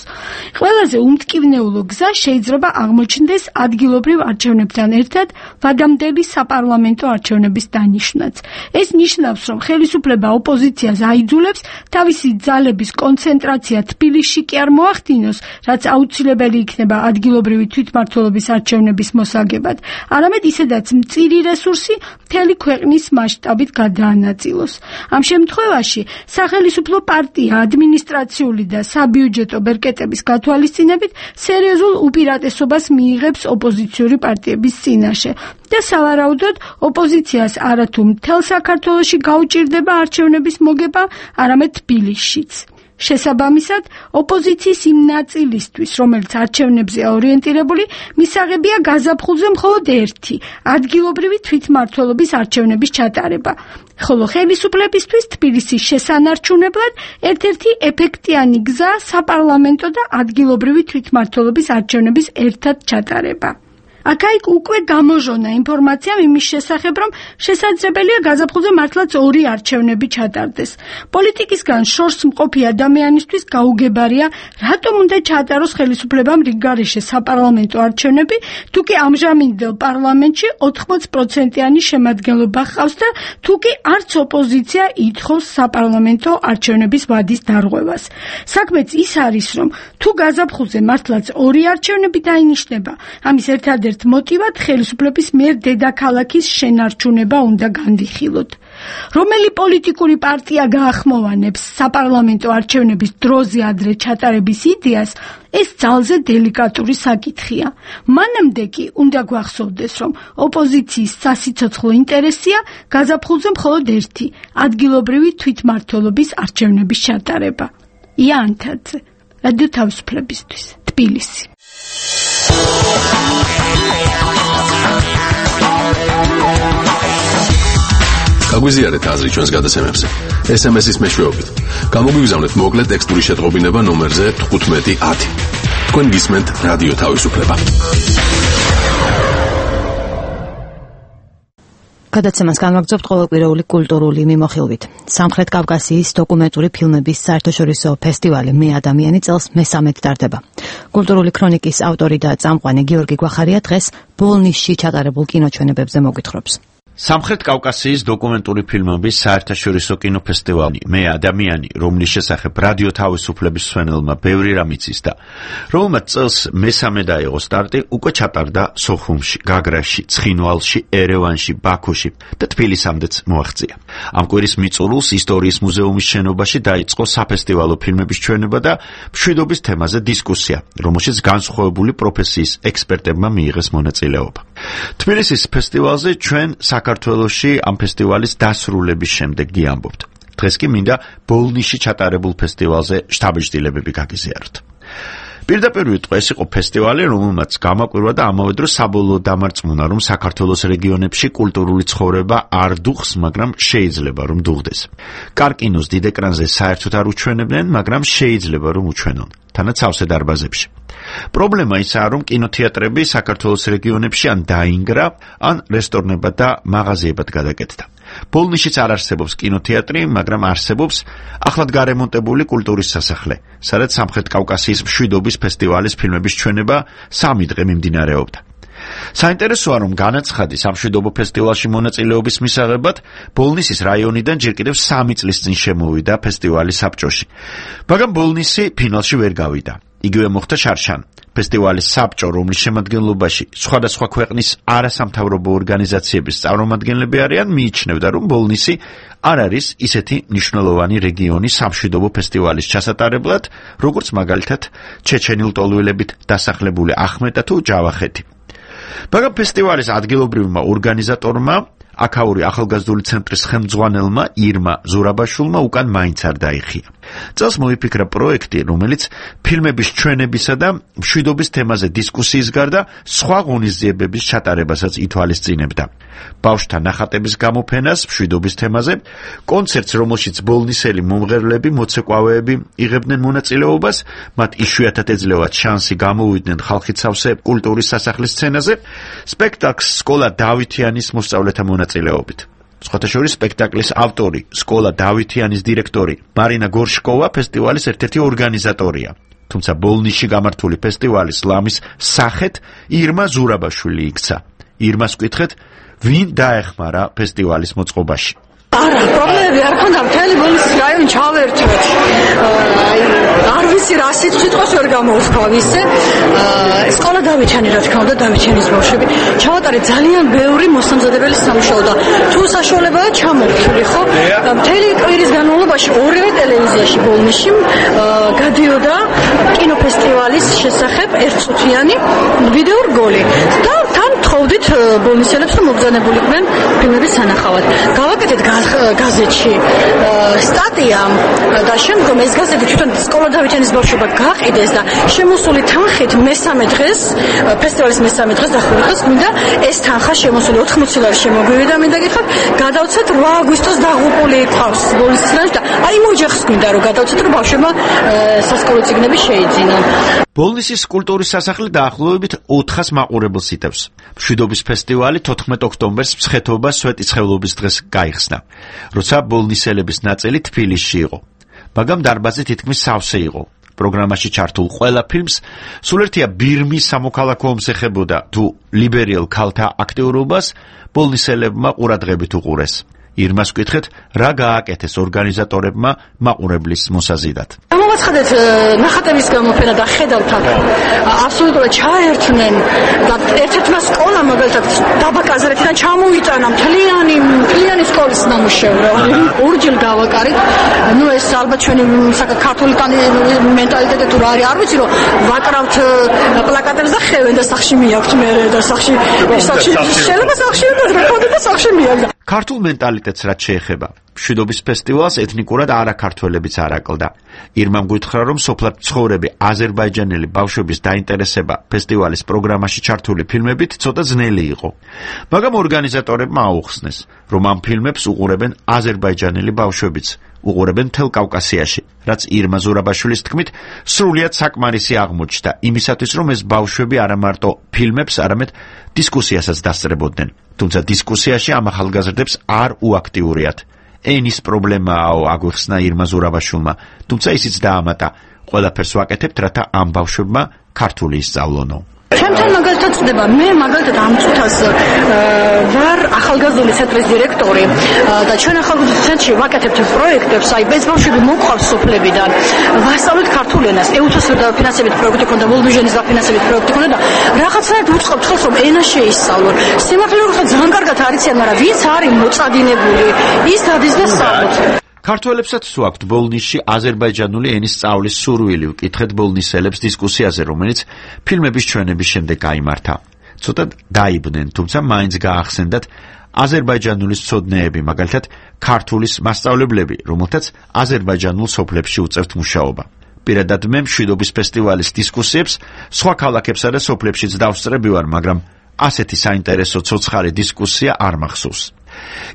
ყველაზე უმტკივნეულო გზა შეიძლება აღმოჩნდეს ადგილობრივ არჩევნებთან ერთად ვადამდელი საპარლამენტო არჩევნების დანიშვნაც. ეს ნიშნავს, რომ ხელისუფლება ოპოზიციას აიძულებს თავისი ძალების კონცენტრაცია თბილისში კი არ მოახდინოს, რაც აუცილებელი იქნება ადგილობრივი თვითმმართველობის არჩევნების მოსაგებად, არამედ ისედაც მწირი რესურსი მთელი ქვეყნის მასშტაბით გადაანაწილოს. ამ შემთხვევაში სახელისუფლო პარტია აქტია ადმინისტრაციული და საბიუჯეტო ბერკეტების გათვალისწინებით სერიოზულ უპირატესობას მიიღებს ოპოზიციური პარტიების წინაშე და სავარაუდოდ ოპოზიციას არათუ მთელ საქართველოში გაუჭირდება არჩევნების მოგება, არამედ თბილისშიც. შესაბამისად, ოპოზიციის იმ ნაწილისთვის, რომელიც არჩევნებზე ორიენტირებული, მისაღებია გაზაფხულზე მხოლოდ ერთი ადგილობრივი თვითმმართველობის არჩევნების ჩატარება, ხოლო ხელისუფლებისთვის თბილისის შესანარჩუნებლად ერთ-ერთი ეფექტიანი გზა საპარლამენტო და ადგილობრივი თვითმმართველობის არჩევნების ერთად ჩატარება. აქ-იქ უკვე გამოჟონა ინფორმაცია იმის შესახებ, რომ შესაძლებელია გაზაფხულზე მართლაც ორი არჩევნები ჩატარდეს. პოლიტიკისგან შორს მყოფი ადამიანისთვის გაუგებარია, რატომ უნდა ჩაატაროს ხელისუფლებამ რიგგარეშე საპარლამენტო არჩევნები, თუ კი ამჟამინდელ პარლამენტში ოთხმოც პროცენტიანი შემადგენლობა ჰყავს და თუ კი არც ოპოზიცია ითხოვს საპარლამენტო არჩევნების ვადის დარღვევას. საქმეც ის არის, რომ თუ გაზაფხულზე მართლაც ორი არჩევნები დაინიშნება, ამის ერთადერთი მოტივად ხელისუფლების მიერ დედაქალაქის შენარჩუნება უნდა განვიხილოთ. რომელი პოლიტიკური პარტია გაახმოვანებს საპარლამენტო არჩევნების დროზე ადრე ჩატარების იდეას, ეს ძალზე დელიკატური საკითხია. მანამდე კი უნდა გვახსოვდეს, რომ ოპოზიციის სასიცოცხლო ინტერესია გაზაფხულზე მხოლოდ ერთი ადგილობრივი თვითმმართველობის არჩევნების ჩატარება. იანთაძე, რადიო თავისუფლებისთვის, თბილისი. გაგვიზიარეთ აზრი ჩვენს გადაცემებზე ეს ემ ეს-ის მეშვეობით. გამოგვიგზავნეთ მოკლე ტექსტური შეტყობინება ნომერზე თხუთმეტი ათი. თქვენ გისმენთ რადიო თავისუფლება. გადაცემას განვაგრძობთ ყოველკვირეული კულტურული მიმოხილვით. სამხრეთ კავკასიის დოკუმენტური ფილმების საერთაშორისო ფესტივალი მე ადამიანი წელს მესამედ ტარდება. კულტურული ქრონიკის ავტორი და წამყვანი გიორგი გვახარია დღეს ბოლნისში ჩატარებულ კინოჩვენებებზე მოგვითხრობს. სამხრეთ კავკასიის დოკუმენტური ფილმების საერთაშორისო კინოფესტივალი მე ადამიანი, რომლის შესახებ რადიო თავისუფლების მსმენელმა ბევრი რამ იცის და რომელმაც წელს მესამე დაიღო სტარტი, უკვე ჩატარდა სოხუმში, გაგრაში, ცხინვალში, ერევანში, ბაქოში და თბილისამდეც მოაღწია. ამ კვირის მიწურულს ისტორიის მუზეუმის შენობაში დაიწყო საფესტივალო ფილმების ჩვენება და მშვიდობის თემაზე დისკუსია, რომელშიც განსხვავებული პროფესიის ექსპერტებმა მიიღეს მონაწილეობა. თბილისის ფესტივალზე ჩვენ საქართველოში ამ ფესტივალის დასრულების შემდეგ გიამბობთ. დღეს კი მინდა ბოლნისში ჩატარებულ ფესტივალზე შთაბეჭდილებები გაგიზიაროთ. პირდაპირ ვიტყვი, ეს იყო ფესტივალი, რომელმაც გამაკვირვა და ამავე დროს საბოლოო დამარწმუნა, რომ საქართველოს რეგიონებში კულტურული ცხოვრება არ დუხს, მაგრამ შეიძლება რომ დუღდეს. კარკინოს დიდ ეკრანზე საერთოდ არ უჩვენებდნენ, მაგრამ შეიძლება რომ უჩვენონ. თანაც სავსე დარბაზებში. პრობლემა ისაა, რომ კინოთეატრები საქართველოს რეგიონებში ან დაინგრა, ან რესტორნებად და მაღაზიებად გადაკეთდა. ბოლნისშიც არ არსებობს კინოთეატრი, მაგრამ არსებობს ახლად გარემონტებული კულტურის სასახლე, სადაც სამხრეთ კავკასიის მშვიდობის ფესტივალის ფილმების ჩვენება სამი დღე მიმდინარეობდა. საინტერესოა, რომ განაცხადი სამშვიდობო ფესტივალში მონაწილეობის მისაღებად ბოლნისის რაიონიდან ჯერ კიდევ სამი წლის წინ შემოვიდა ფესტივალის საბჭოში. მაგრამ ბოლნისი ფინალში ვერ გავიდა. იგივე მოხდა შარშან. ფესტივალის საბჭო, რომლის შემადგენლობაში სხვადასხვა ქვეყნის არასამთავრობო ორგანიზაციების წარმომადგენლები არიან, მიიჩნევდა, რომ ბოლნისი არ არის ისეთი მნიშვნელოვანი რეგიონი სამშვიდობო ფესტივალის ჩასატარებლად, როგორც მაგალითად ჩეჩენილ-ტოლვილებით დასახლებული ახმეტა თუ ჯავახეთი. მაგრამ ფესტივალის ადგილობრივმა ორგანიზატორმა, აქაური ახალგაზრდული ცენტრის ხელმძღვანელმა ირმა ზურაბაშვილმა უკან მაინც არ დაიხია. წელს მოიფიქრა პროექტი, რომელიც ფილმების ჩვენებისა და მშვიდობის თემაზე დისკუსიის გარდა სხვა ღონისძიებების ჩატარებასაც ითვალისწინებდა. ბავშვთა ნახატების გამოფენას მშვიდობის თემაზე, კონცერტს, რომელშიც ბოლნისელი მომღერლები, მოცეკვავეები იღებდნენ მონაწილეობას, მათ იშვიათად ეძლევათ შანსი გამოვიდნენ ხალხით სავსე კულტურის სასახლის სცენაზე, სპექტაკლს სკოლა დავითიანის მოსწავლეთა მონაწილეობით. სხვათა შორის სპექტაკლის ავტორი, სკოლა დავითიანის დირექტორი მარინა გორშკოვა ფესტივალის ერთ-ერთი ორგანიზატორია. თუმცა ბოლნისში გამართული ფესტივალის ლამის სახეთ ირმა ზურაბაშვილი იქცა. ირმას ვკითხეთ, ვინ დაეხმარა ფესტივალის მოწყობაში. არა, პრობლემები არ ქონდა, მთელი ბოლნისის რაიონი ჩავერთვეთ. აი, არ ვიცი რა სიტყვას ვერ გამოვსქვა ისე. სკოლა დავიჩანი, რა თქმა უნდა, დავიჩანის ბავშვები. ჩავატარეთ ძალიან ბევრი მოსამზადებელი სამუშაო და თუ საშუალებაა ჩამოვთვლი, ხო? მთელი კვირის განმავლობაში ორივე ტელევიზიაში ბოლნისში გადიოდა კინოფესტივალის შესახებ ერთწუთიანი ვიდეო რგოლი. და თან თხოვდით ბოლნისელებს, რომ მობრძანებულიყვნენ ფილმების სანახავად. გავაკეთეთ გაზეთში სტატია და შემდგომ ეს გაზეთი თვითონ სკოლა დავიჩანის ბავშვობა გაყიდეს და შემოსული თანხით მესამე დღეს ფესტივალის მესამე დღეს დახურეს მინდა ეს თანხა შემოსული ოთხმოცი ლარი შემოგვივიდა მინდა გითხრათ გადავცეთ რვა აგვისტოს დაღუპული ყავს ბოლნისიდან და აი მოჯახს მინდა რომ გადავცეთ რომ ბავშვებმა სასკოლო წიგნები შეიძინონ. ბოლნისის კულტურის სასახლე დაახლოებით ოთხას მაყურებელს იტევს. მშვიდობის ფესტივალი თოთხმეტ ოქტომბერს მსხეთობა სვეტიცხოვლობის დღეს გაიხსნა, როცა ბოლნისელების ნაწილი თბილისში იყო. მაგრამ დარბაზი თითქმის სავსე იყო. პროგრამაში ჩართულ ყველა ფილმს სულ ერთია ბირმის სამოქალაქო ომს ეხებოდა თუ ლიბერიელ ქალთა აქტიურობას ბოლნისელებმა ყურადღებით უყურეს. ირმას ვკითხეთ, რა გააკეთეს ორგანიზატორებმა მაყურებლის მოსაზიდად. გამოვაცხადეთ ნახატების გამოფენა და ხედავთ აბსოლუტურად ჩაერთნენ და ერთ-ერთმა სკოლამ მაგალითად დაბა კაზრეთიდან ჩამოიტანა მთლიანი მთლიანი სკოლის ნამუშევრო. ორჯერ გავაკარით. ნუ ეს ალბათ ჩვენი საქართველოს მენტალიტეტი თუ რა არის, არ ვიცი რომ ვაკრავთ პლაკატებს და ხევენ და სახში მიაქვთ მე და სახში სახში შეიძლება სახში უნდა რეკორდი და სახში მიაგდა. ქართულ მენტალიტეტს რაც შეეხება, მშვიდობის ფესტივალს ეთნიკურად არაქართველებიც არ აკლდა. ირმამ გითხრა, რომ სოფლად მცხოვრები აზერბაიჯანელი ბავშვების დაინტერესება ფესტივალის პროგრამაში ჩართული ფილმებით ცოტა ძნელი იყო. მაგრამ ორგანიზატორებმა აუხსნეს, რომ ამ ფილმებს უყურებენ აზერბაიჯანელი ბავშვებიც, უყურებენ მთელ კავკასიაში, რაც ირმა ზურაბაშვილის თქმით სრულიად საკმარისი აღმოჩნდა იმისათვის, რომ ეს ბავშვები არა მარტო ფილმებს, არამედ დისკუსიასაც დასწრებოდნენ. თუმცა დისკუსიაში ამ ახალგაზრდებს არ უაქტიურიათ. ენის პრობლემააო, აგვიხსნა ირმა ზურაბაშვილმა, თუმცა ისიც დაამატა, ყველაფერს ვაკეთებთ, რათა ამ ბავშვებმა ქართული ისწავლონო. ჩემთან მაგალითად წდება, მე მაგალითად ამ წუთას ვარ ახალგაზრდული ცენტრის დირექტორი და ჩვენ ახალგაზრდულ ცენტრში ვაკეთებთ პროექტებს, აი ეს ბავშვები მოყვავს სოფლებიდან, ვასწავლეთ ქართულ ენას, ეუთოს დაფინანსებით პროექტი ქონდა, ვოლბიჟენის დაფინანსებით პროექტი ქონდა და რაღაცნაირად უწყობთ ხელს, რომ ენა შეისწავლონ. სიმართლე რომ ძალიან კარგად არიციან, მაგრამ ვინც არის მოწადინებული, ის დადის და სწავლობს. ქართველებსაც სვაქვთ ბოლნისში აზერბაიჯანული ენის სწავლის სურვილი, ვკითხეთ ბოლნისელებს დისკუსიაზე, რომელიც ფილმების ჩვენების შემდეგ გაიმართა. ცოტა დაიბნენ, თუმცა მაინც გაახსენდათ აზერბაიჯანული მცოდნეები, მაგალითად ქართულის მასწავლებლები, რომელთაც აზერბაიჯანულ სოფლებში უწევთ მუშაობა. პირადად მე მშვიდობის ფესტივალის დისკუსიებს სხვა ქალაქებსა და სოფლებშიც დავსწრები ვარ, მაგრამ ასეთი საინტერესო ცოცხალი დისკუსია არ მახსოვს.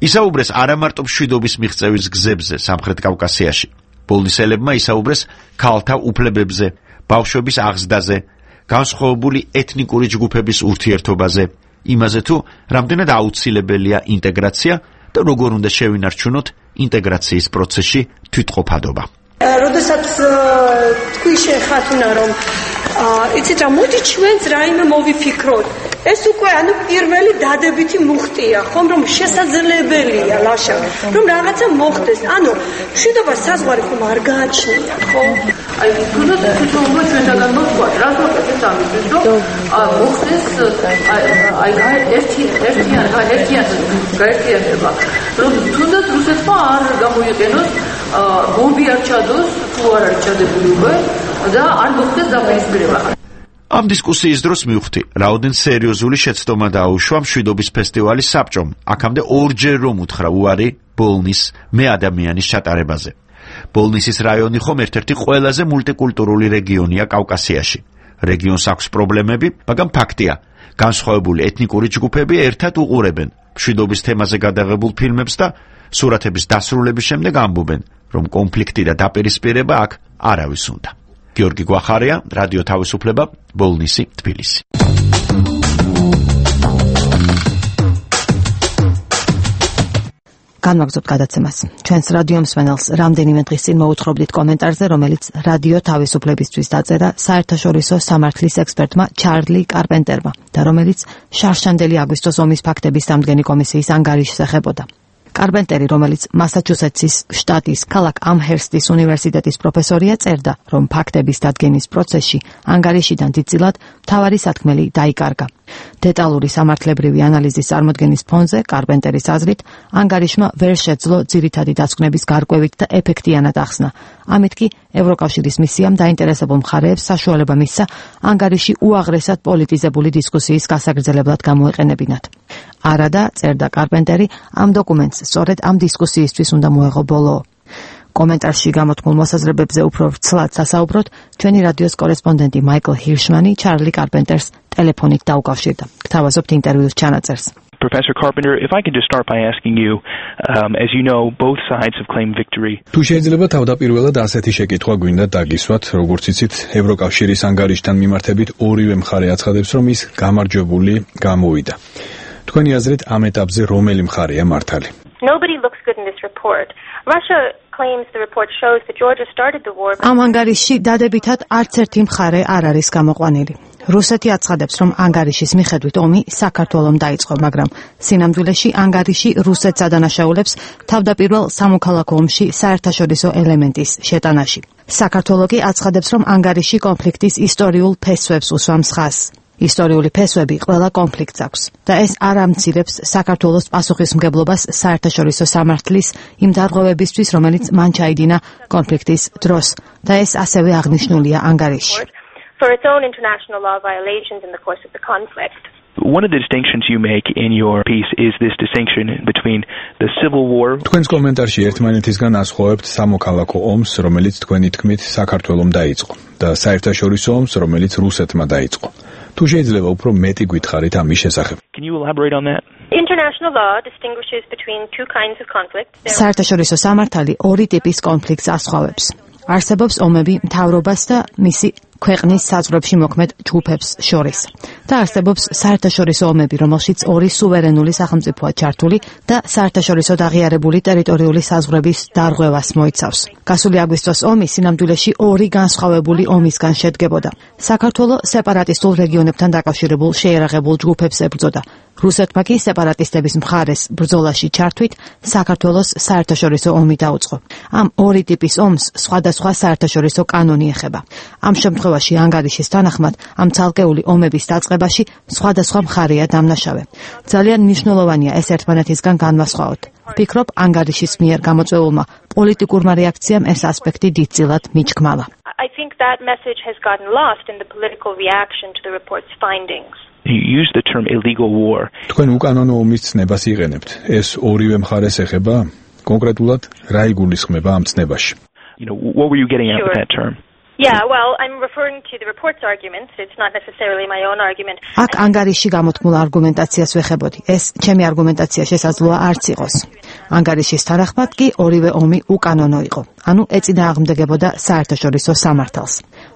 ისაუბრეს არა მარტო მშვიდობის მიღწევის გზებზე სამხრეთ კავკასიაში. ბოლნისელებმა ისაუბრეს ქალთა უფლებებზე, ბავშვების აღზრდაზე, განსხვავებული ეთნიკური ჯგუფების ურთიერთობაზე, იმაზე თუ რამდენად აუცილებელია ინტეგრაცია და როგორ უნდა შევინარჩუნოთ ინტეგრაციის პროცესში თვითყოფადობა. როდესაც თქვი შეხათუნა რომ იცით რა მოდი ჩვენც რაიმე მოვიფიქროთ ეს უკვე ანუ პირველი დადებითი მუხტია ხომ რომ შესაძლებელია ლაშა რომ რაღაცა მოხდეს ანუ მშვიდობა საზღვარი ხომ არ გააჩნია ხო აი თუნდაც თვითონაც ჩვენთან მოხდა რა თქმა ამისთვის რომ მოხდეს აი აი ერთი ერთი ერთი გაერთიანება რომ თუნდაც რუსეთმა არ გამოიყენოს ბომბი არ ჩადოს თუ არ არის ჩადებული უკვე და არ მოხდეს დაპირისპირება. ამ დისკუსიის დროს მივხვდი, რაოდენ სერიოზული შეცდომა დაუშვა მშვიდობის ფესტივალის საბჭომ. აქამდე ორჯერ რომ უთხრა უარი ბოლნის მე ადამიანის ჩატარებაზე. ბოლნისის რაიონი ხომ ერთ-ერთი ყველაზე მულტიკულტურული რეგიონია კავკასიაში. რეგიონს აქვს პრობლემები, მაგრამ ფაქტია, განსხვავებული ეთნიკური ჯგუფები ერთად უყურებენ მშვიდობის თემაზე გადაღებულ ფილმებს და სურათების დასრულების შემდეგ ამბობენ, რომ კონფლიქტი და დაპირისპირება აქ არავის უნდა. გიორგი გვახარია, რადიო თავისუფლება, ბოლნისი, თბილისი. განვაგრძობთ გადაცემას. ჩვენს რადიო მსმენელს რამდენიმე დღის წინ მოუთხრობდით კომენტარზე, რომელიც რადიო თავისუფლებისთვის დაწერა საერთაშორისო სამართლის ექსპერტმა ჩარლი კარპენტერმა და რომელიც შარშანდელი აგვისტოს ომის ფაქტების დამდგენი კომისიის ანგარიშს ეხებოდა. კარპენტერი, რომელიც მასაჩუსეტსის შტატის ქალაქ ამჰერსტის უნივერსიტეტის პროფესორია, წერდა, რომ ფაქტების დადგენის პროცესში ანგარიშიდან დიდწილად მთავარი სათქმელი დაიკარგა. დეტალური სამართლებრივი ანალიზის წარმოდგენის ფონზე კარპენტერის აზრით ანგარიშმა ვერ შეძლო ძირითადი დასკვნების გარკვევით და ეფექტიანად ახსნა. ამით კი ევროკავშირის მისიამ დაინტერესებულ მხარეებს საშუალება მისცა ანგარიში უაღრესად პოლიტიზებული დისკუსიის გასაგრძელებლად გამოეყენებინათ. არადა, წერდა კარპენტერი, ამ დოკუმენტს სწორედ ამ დისკუსიისთვის უნდა მოეღო ბოლო. კომენტარში გამოთქმულ მოსაზრებებზე უფრო ვრცლად სასაუბროთ ჩვენი რადიოს კორესპონდენტი მაიკლ ჰირშმანი ჩარლი კარპენტერს ტელეფონით დაუკავშირდა. გთავაზობთ ინტერვიუს ჩანაწერს. Professor Carpenter, if I could just start by asking you, um, as you know, both sides have claimed victory. თუ შეიძლება თავდაპირველად ასეთი შეკითხვა გვინდა დაგისვათ, როგორც იცით, ევროკავშირის ანგარიშთან მიმართებით ორივე მხარე აცხადებს, რომ ის გამარჯვებული გამოვიდა. თქვენი აზრით, ამ ეტაპზე რომელი მხარეა მართალი? Nobody looks good in this report. Russia claims the report shows that Georgia started the war. ამ ანგარიშში დადებითად არც ერთი მხარე არ არის გამოყვანილი. რუსეთი აცხადებს, რომ ანგარიშის მიხედვით ომი საქართველომ დაიწყო, მაგრამ სინამდვილეში ანგარიში რუსეთს ადანაშაულებს თავდაპირველ სამოქალაქო ომში საერთაშორისო ელემენტის შეტანაში. საქართველო კი აცხადებს, რომ ანგარიში კონფლიქტის ისტორიულ ფესვებს უსვამს ხაზს. ისტორიული ფესვები ყველა კონფლიქტს აქვს და ეს არ ამცირებს საქართველოს პასუხისმგებლობას საერთაშორისო სამართლის იმ დარღვევებისთვის, რომელიც მან ჩაიდინა კონფლიქტის დროს და ეს ასევე აღნიშნულია ანგარიშში. For its own international law violations in the course of the conflict. One of the distinctions you make in your piece is this distinction between the civil war. თქვენს კომენტარში ერთმანეთისგან ასხვავებთ სამოქალაქო ომს, რომელიც თქვენი თქმით საქართველომ დაიწყო და საერთაშორისო ომს, რომელიც რუსეთმა დაიწყო. თუ შეიძლება უფრო მეტი გითხარით ამის შესახებ. Can you elaborate on that? International law distinguishes between two kinds of conflicts. საერთაშორისო სამართალი ორი ტიპის კონფლიქტს ასხვავებს. არსებობს ომები მთავრობას და მისი ქვეყნის საზღვრებში მოქმედ ჯგუფებს შორის და არსებობს საერთაშორისო ომები, რომელშიც ორი სუვერენული სახელმწიფოა ჩართული და საერთაშორისო აღიარებული ტერიტორიული საზღვრების დარღვევას მოიცავს. გასული აგვისტოს ომი სინამდვილეში ორი განსხვავებული ომისგან შედგებოდა. საქართველო სეპარატისტულ რეგიონებთან დაკავშირებულ შეიარაღებულ ჯგუფებს ებრძოდა. რუსეთმა კი სეპარატისტების მხარეს ბრძოლაში ჩართვით საქართველოს საერთაშორისო ომი დაუწყო. ამ ორი ტიპის ომს სხვადასხვა საერთაშორისო კანონი ეხება. ამ შემთხვევაში ანგარიშის თანახმად ამ ცალკეული ომების დაწყებაში სხვადასხვა მხარეა დამნაშავე. ძალიან მნიშვნელოვანია ეს ერთმანეთისგან განვასხვაოთ. ვფიქრობ, ანგარიშის მიერ გამოწვეულმა პოლიტიკურმა რეაქციამ ეს ასპექტი დიდწილად მიჩქმალა. I think that message has gotten lost in the political reaction to the report's findings. You use the term illegal war. თქვენ უკანონო ომის ცნებას იღენებთ. ეს ორივე მხარეს ეხება? კონკრეტულად რა იგულისხმება ამ ცნებაში? You know, what were you getting at with that term? Yeah, well, I'm referring to the report's arguments. It's not necessarily my own argument. აქ ანგარიში გამოთქმულ არგუმენტაციას ვეხებოდი. ეს ჩემი არგუმენტაცია შესაძლოა არც იყოს. ანგარიშის თანახმად კი ორივე ომი უკანონო იყო. ანუ ეწინააღმდეგებოდა საერთაშორისო სამართალს.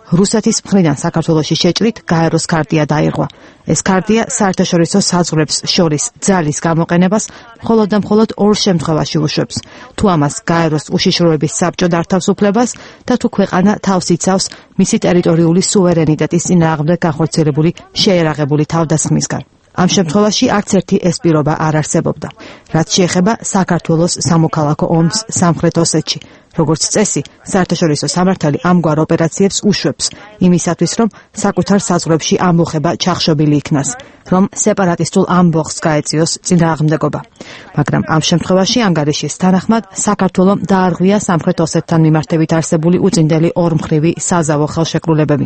რუსეთის მხრიდან საქართველოში შეჭრით გაეროს ქარტია დაირღვა. ეს ქარტია საერთაშორისო საზღვრებს შორის ძალის გამოყენებას მხოლოდ და მხოლოდ ორ შემთხვევაში უშვებს. თუ ამას გაეროს უშიშროების საბჭო დართავს უფლებას და თუ ქვეყანა თავს იცავს მისი ტერიტორიული სუვერენიტეტის წინააღმდეგ განხორციელებული შეიარაღებული თავდასხმისგან. ამ შემთხვევაში არც ერთი ეს პირობა არ არსებობდა. რაც შეეხება საქართველოს სამოქალაქო ომს სამხრეთ ოსეთში. როგორც წესი, საერთაშორისო სამართალი ამგვარ ოპერაციებს უშვებს იმისათვის, რომ საკუთარ საზღვრებში ამბოხება ჩახშობილი იქნას, რომ სეპარატისტულ ამბოხს გაეწიოს წინააღმდეგობა. მაგრამ ამ შემთხვევაში ანგარიშის თანახმად საქართველომ დაარღვია სამხრეთ ოსეთთან მიმართებით არსებული უწინდელი ორმხრივი საზავო ხელშეკრულებები.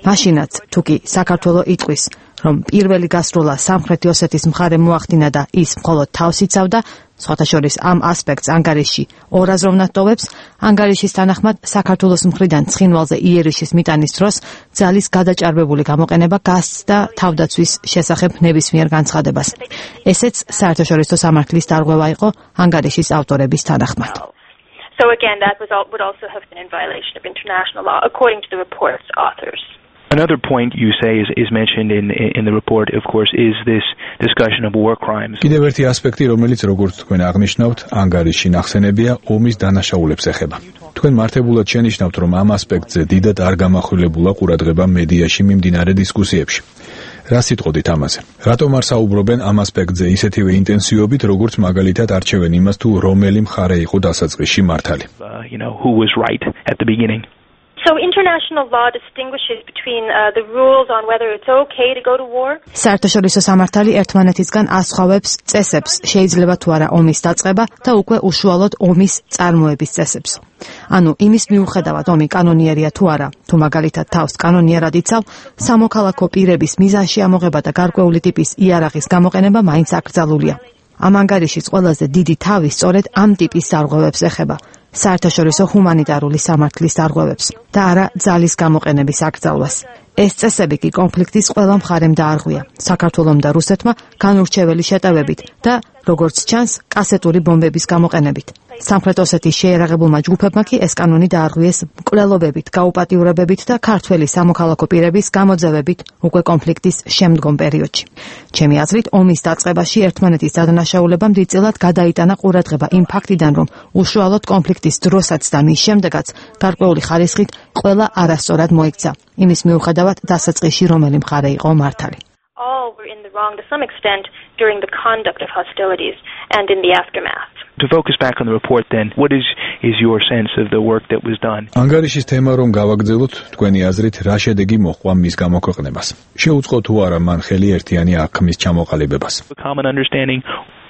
მაშინაც, თუ კი საქართველო იტყვის, რომ პირველი გასროლა სამხრეთი ოსეთის მხარემ მოახდინა და ის მხოლოდ თავს იცავდა, სხვათა შორის ამ ასპექტს ანგარიში ორაზროვნად ტოვებს, ანგარიშის თანახმად საქართველოს მხრიდან ცხინვალზე იერიშის მიტანის დროს ძალის გადაჭარბებული გამოყენება გასცდა თავდაცვის შესახებ ნებისმიერ განცხადებას. ესეც საერთაშორისო სამართლის დარღვევა იყო ანგარიშის ავტორების თანახმად. So again, that was all, would also have been in violation of international law, according to the report's authors. Another point you say is, is mentioned in, in the report, of course, is this discussion of war crimes. კიდევ ერთი ასპექტი, რომელიც როგორც თქვენ აღნიშნავთ, ანგარიში ნახსენებია, ომის დანაშაულებს ეხება. თქვენ მართებულად შენიშნავთ, რომ ამ ასპექტზე დიდად არ გამახვილებულა ყურადღება მედიაში მიმდინარე დისკუსიებში. რა სიტყოდით ამაზე? რატომ არ საუბრობენ ამ ასპექტზე ისეთივე ინტენსივობით, როგორც მაგალითად არჩევენ იმას, თუ რომელი მხარე იყო დასაწყისში მართალი? Uh, you know, who was right at the beginning. So international law distinguishes between uh, the rules on whether it's okay to go to war. საერთაშორისო სამართალი ერთმანეთისგან ასხვავებს წესებს, შეიძლება თუ არა ომის დაწყება და უკვე უშუალოდ ომის წარმოების წესებს. ანუ იმის მიუხედავად ომი კანონიერია თუ არა, თუ მაგალითად თავს კანონიერად იცავ, სამოქალაქო პირების მიზანში ამოღება და გარკვეული ტიპის იარაღის გამოყენება მაინც აკრძალულია. ამ ანგარიშის ყველაზე დიდი თავი სწორედ ამ ტიპის სარღვევებს ეხება. საერთაშორისო ჰუმანიტარული სამართლის დარღვევებს და არა ძალის გამოყენების აკრძალვას. ეს წესები კი კონფლიქტის ყველა მხარემ დაარღვია, საქართველომ და რუსეთმა განურჩეველი შეტევებით და, როგორც ჩანს, კასეტური ბომბების გამოყენებით. სამხრეთ ოსეთის შეიარაღებულმა ჯგუფებმა კი ეს კანონი დაარღვიეს მკვლელობებით, გაუპატიურებებით და ქართველი სამოქალაქო პირების გამოძევებით უკვე კონფლიქტის შემდგომ პერიოდში. ჩემი აზრით, ომის დაწყებაში ერთმანეთის დადანაშაულებამ დიდწილად გადაიტანა ყურადღება იმ ფაქტიდან, რომ უშუალოდ კონფლიქტის დროსაც და მის შემდეგაც გარკვეული ხარისხით ყველა არასწორად მოიქცა. იმის მიუხედავად დასაწყისში რომელი მხარე იყო მართალი. All were in the wrong to some extent during the conduct of hostilities and in the aftermath. To focus back on the report then, what is is your sense of the work that was done? ანგარიშის თემა რომ გავაგრძელოთ, თქვენი აზრით რა შედეგი მოჰყვა მის გამოქვეყნებას? შეუწყო თუ არა მან ხელი ერთიანი აღქმის ჩამოყალიბებას? A common understanding.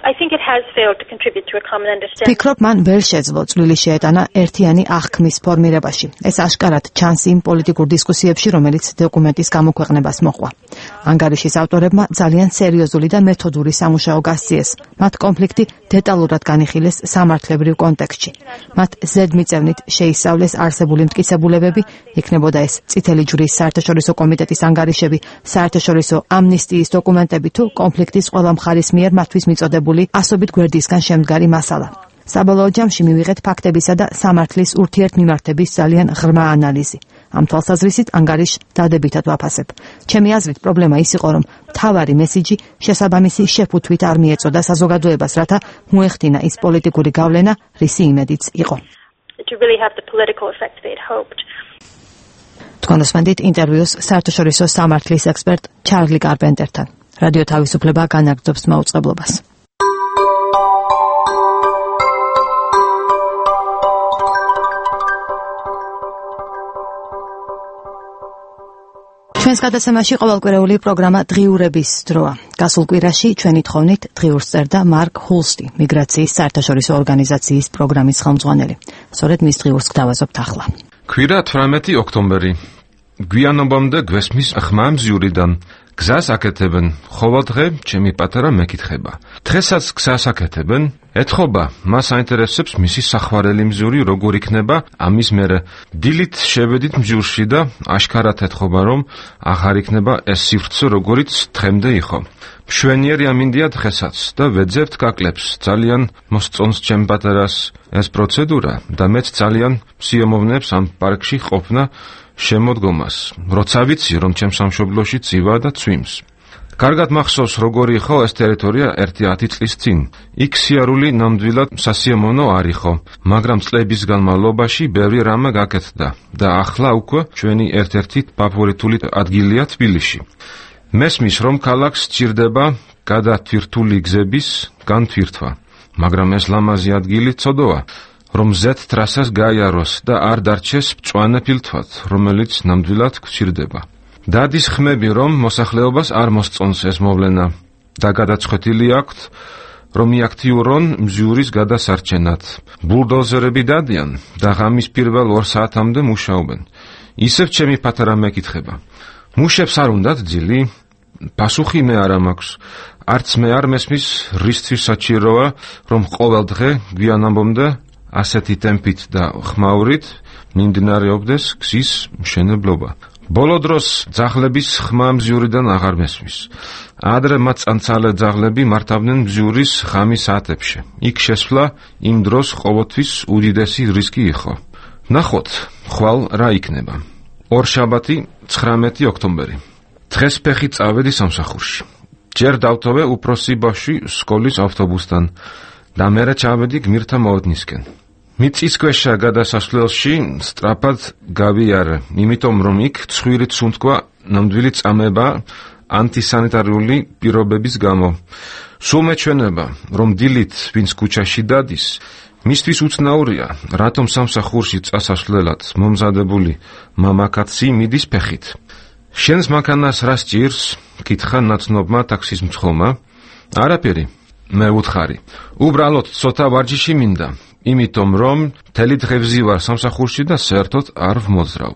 I think it has failed to contribute to a common understanding. ფიქრობ, მან ვერ შეძლო წვლილი შეეტანა ერთიანი აღქმის ფორმირებაში. ეს აშკარად ჩანს იმ პოლიტიკურ დისკუსიებში, რომელიც დოკუმენტის გამოქვეყნებას მოჰყვა. ანგარიშის ავტორებმა ძალიან სერიოზული და მეთოდური სამუშაო გასწიეს. მათ კონფლიქტი დეტალურად განიხილეს სამართლებრივ კონტექსტში. მათ ზედმიწევნით შეისწავლეს არსებული მტკიცებულებები, იქნებოდა ეს წითელი ჯვრის საერთაშორისო კომიტეტის ანგარიშები, საერთაშორისო ამნისტიის დოკუმენტები თუ კონფლიქტის ყველა მხარის მიერ მათთვის მიწოდებული ასობით გვერდისგან შემდგარი მასალა. საბოლოო ჯამში მივიღეთ ფაქტებისა და სამართლის ურთიერთმიმართების ძალიან ღრმა ანალიზი. ამ თვალსაზრისით ანგარიშს დადებითად ვაფასებ. ჩემი აზრით პრობლემა ის იყო, რომ მთავარი მესიჯი შესაბამისი შეფუთვით არ მიეწოდა საზოგადოებას, რათა მოეხდინა ის პოლიტიკური გავლენა, რისი იმედიც იყო. To really have the political effect they'd hoped. თქვენ უსმენთ ინტერვიუს საერთაშორისო სამართლის ექსპერტ ჩარლი კარპენტერთან. რადიო თავისუფლება განაგრძობს მაუწყებლობას. ჩვენს გადაცემაში ყოველკვირეული პროგრამა დღიურების დროა. გასულ კვირაში ჩვენი თხოვნით დღიურს წერდა მარკ ჰულსტი, მიგრაციის საერთაშორისო ორგანიზაციის პროგრამის ხელმძღვანელი. სწორედ მის დღიურს გვთავაზობთ ახლა. კვირა თვრამეტი ოქტომბერი. გვიანობამდე გვესმის ხმა მზიურიდან. გზას აკეთებენ, ხოვადღე ჩემი პატარა მეკითხება. დღესაც გზას აკეთებენ, ეთხოვა, მას აინტერესებს მისი სახვარელი მზიური როგორ იქნება, ამის მერე დილით შევედით მზიურში და აშკარად ეთხოვა, რომ აღარ იქნება ეს სივრცე როგორიც დღემდე იყო. მშვენიერი ამინდია დღესაც და ვეძებთ გაკლებს, ძალიან მოსწონს ჩემ პატარას ეს პროცედურა და მეც ძალიან მსიამოვნებს ამ პარკში ყოფნა შემოდგომას, როცა ვიცი, რომ ჩემ სამშობლოში ცივა და ცვიმს. კარგად მახსოვს, როგორი იყო ეს ტერიტორია ერთი ათი წლის წინ. იქ სიარული ნამდვილად სასიამოვნო არ იყო, მაგრამ წლების განმავლობაში ბევრი რამე გაკეთდა და ახლა უკვე ჩვენი ერთ-ერთი ფავორიტული ადგილია თბილისში. მესმის, რომ ქალაქს სჭირდება გადათვირთული გზების განთვირთვა, მაგრამ ეს ლამაზი ადგილი ცოდოა, რომ ზეთ ტრასას გაიაროს და არ დარჩეს მწვანე ფილთვად, რომელიც ნამდვილად გვჭირდება. დადის ხმები, რომ მოსახლეობას არ მოსწონს ეს მოვლენა და გადაწყვეტილი აქვთ, რომ იაქტიურონ მზიურის გადასარჩენად. ბულდოზერები დადიან და ღამის პირველ ორ საათამდე მუშაობენ. ისევ ჩემი პატარა მეკითხება. მუშებს არ უნდათ ძილი? პასუხი მე არ მაქვს. არც მე არ მესმის, რისთვის საჭიროა, რომ ყოველ დღე გვიანობამდე ასეთი ტემპით და ხმაურით მიმდინარეობდეს გზის მშენებლობა. ბოლო დროს ძაღლების ხმა მზიურიდან აღარ მესმის. ადრე მათ წანცალე ძაღლები მართავდნენ მზიურის ღამის საათებში. იქ შესვლა იმ დროს ყოველთვის უდიდესი რისკი იყო. ნახოთ, ხვალ რა იქნება. ორშაბათი, ცხრამეტი ოქტომბერი. დღეს ფეხით წავედი სამსახურში. ჯერ დავტოვე უფროსი ბავშვი სკოლის ავტობუსთან და მერე ჩავედი გმირთა მოედნისკენ. მიწისქვეშა გადასასვლელში სწრაფად გავიარე, იმიტომ რომ იქ ცხვირით სუნთქვა ნამდვილი წამება ანტისანიტარიული პირობების გამო. სულ მეჩვენება, რომ დილით ვინც ქუჩაში დადის, მისთვის უცნაურია, რატომ სამსახურში წასასვლელად მომზადებული მამაკაცი მიდის ფეხით. შენს მანქანას რა სჭირს? კითხა ნაცნობმა ტაქსის მცხოვმა. არაფერი, მე ვუთხარი. უბრალოდ ცოტა ვარჯიში მინდა, იმიტომ რომ მთელი დღევზი ვარ სამსახურში და საერთოდ არ ვმოძრავ.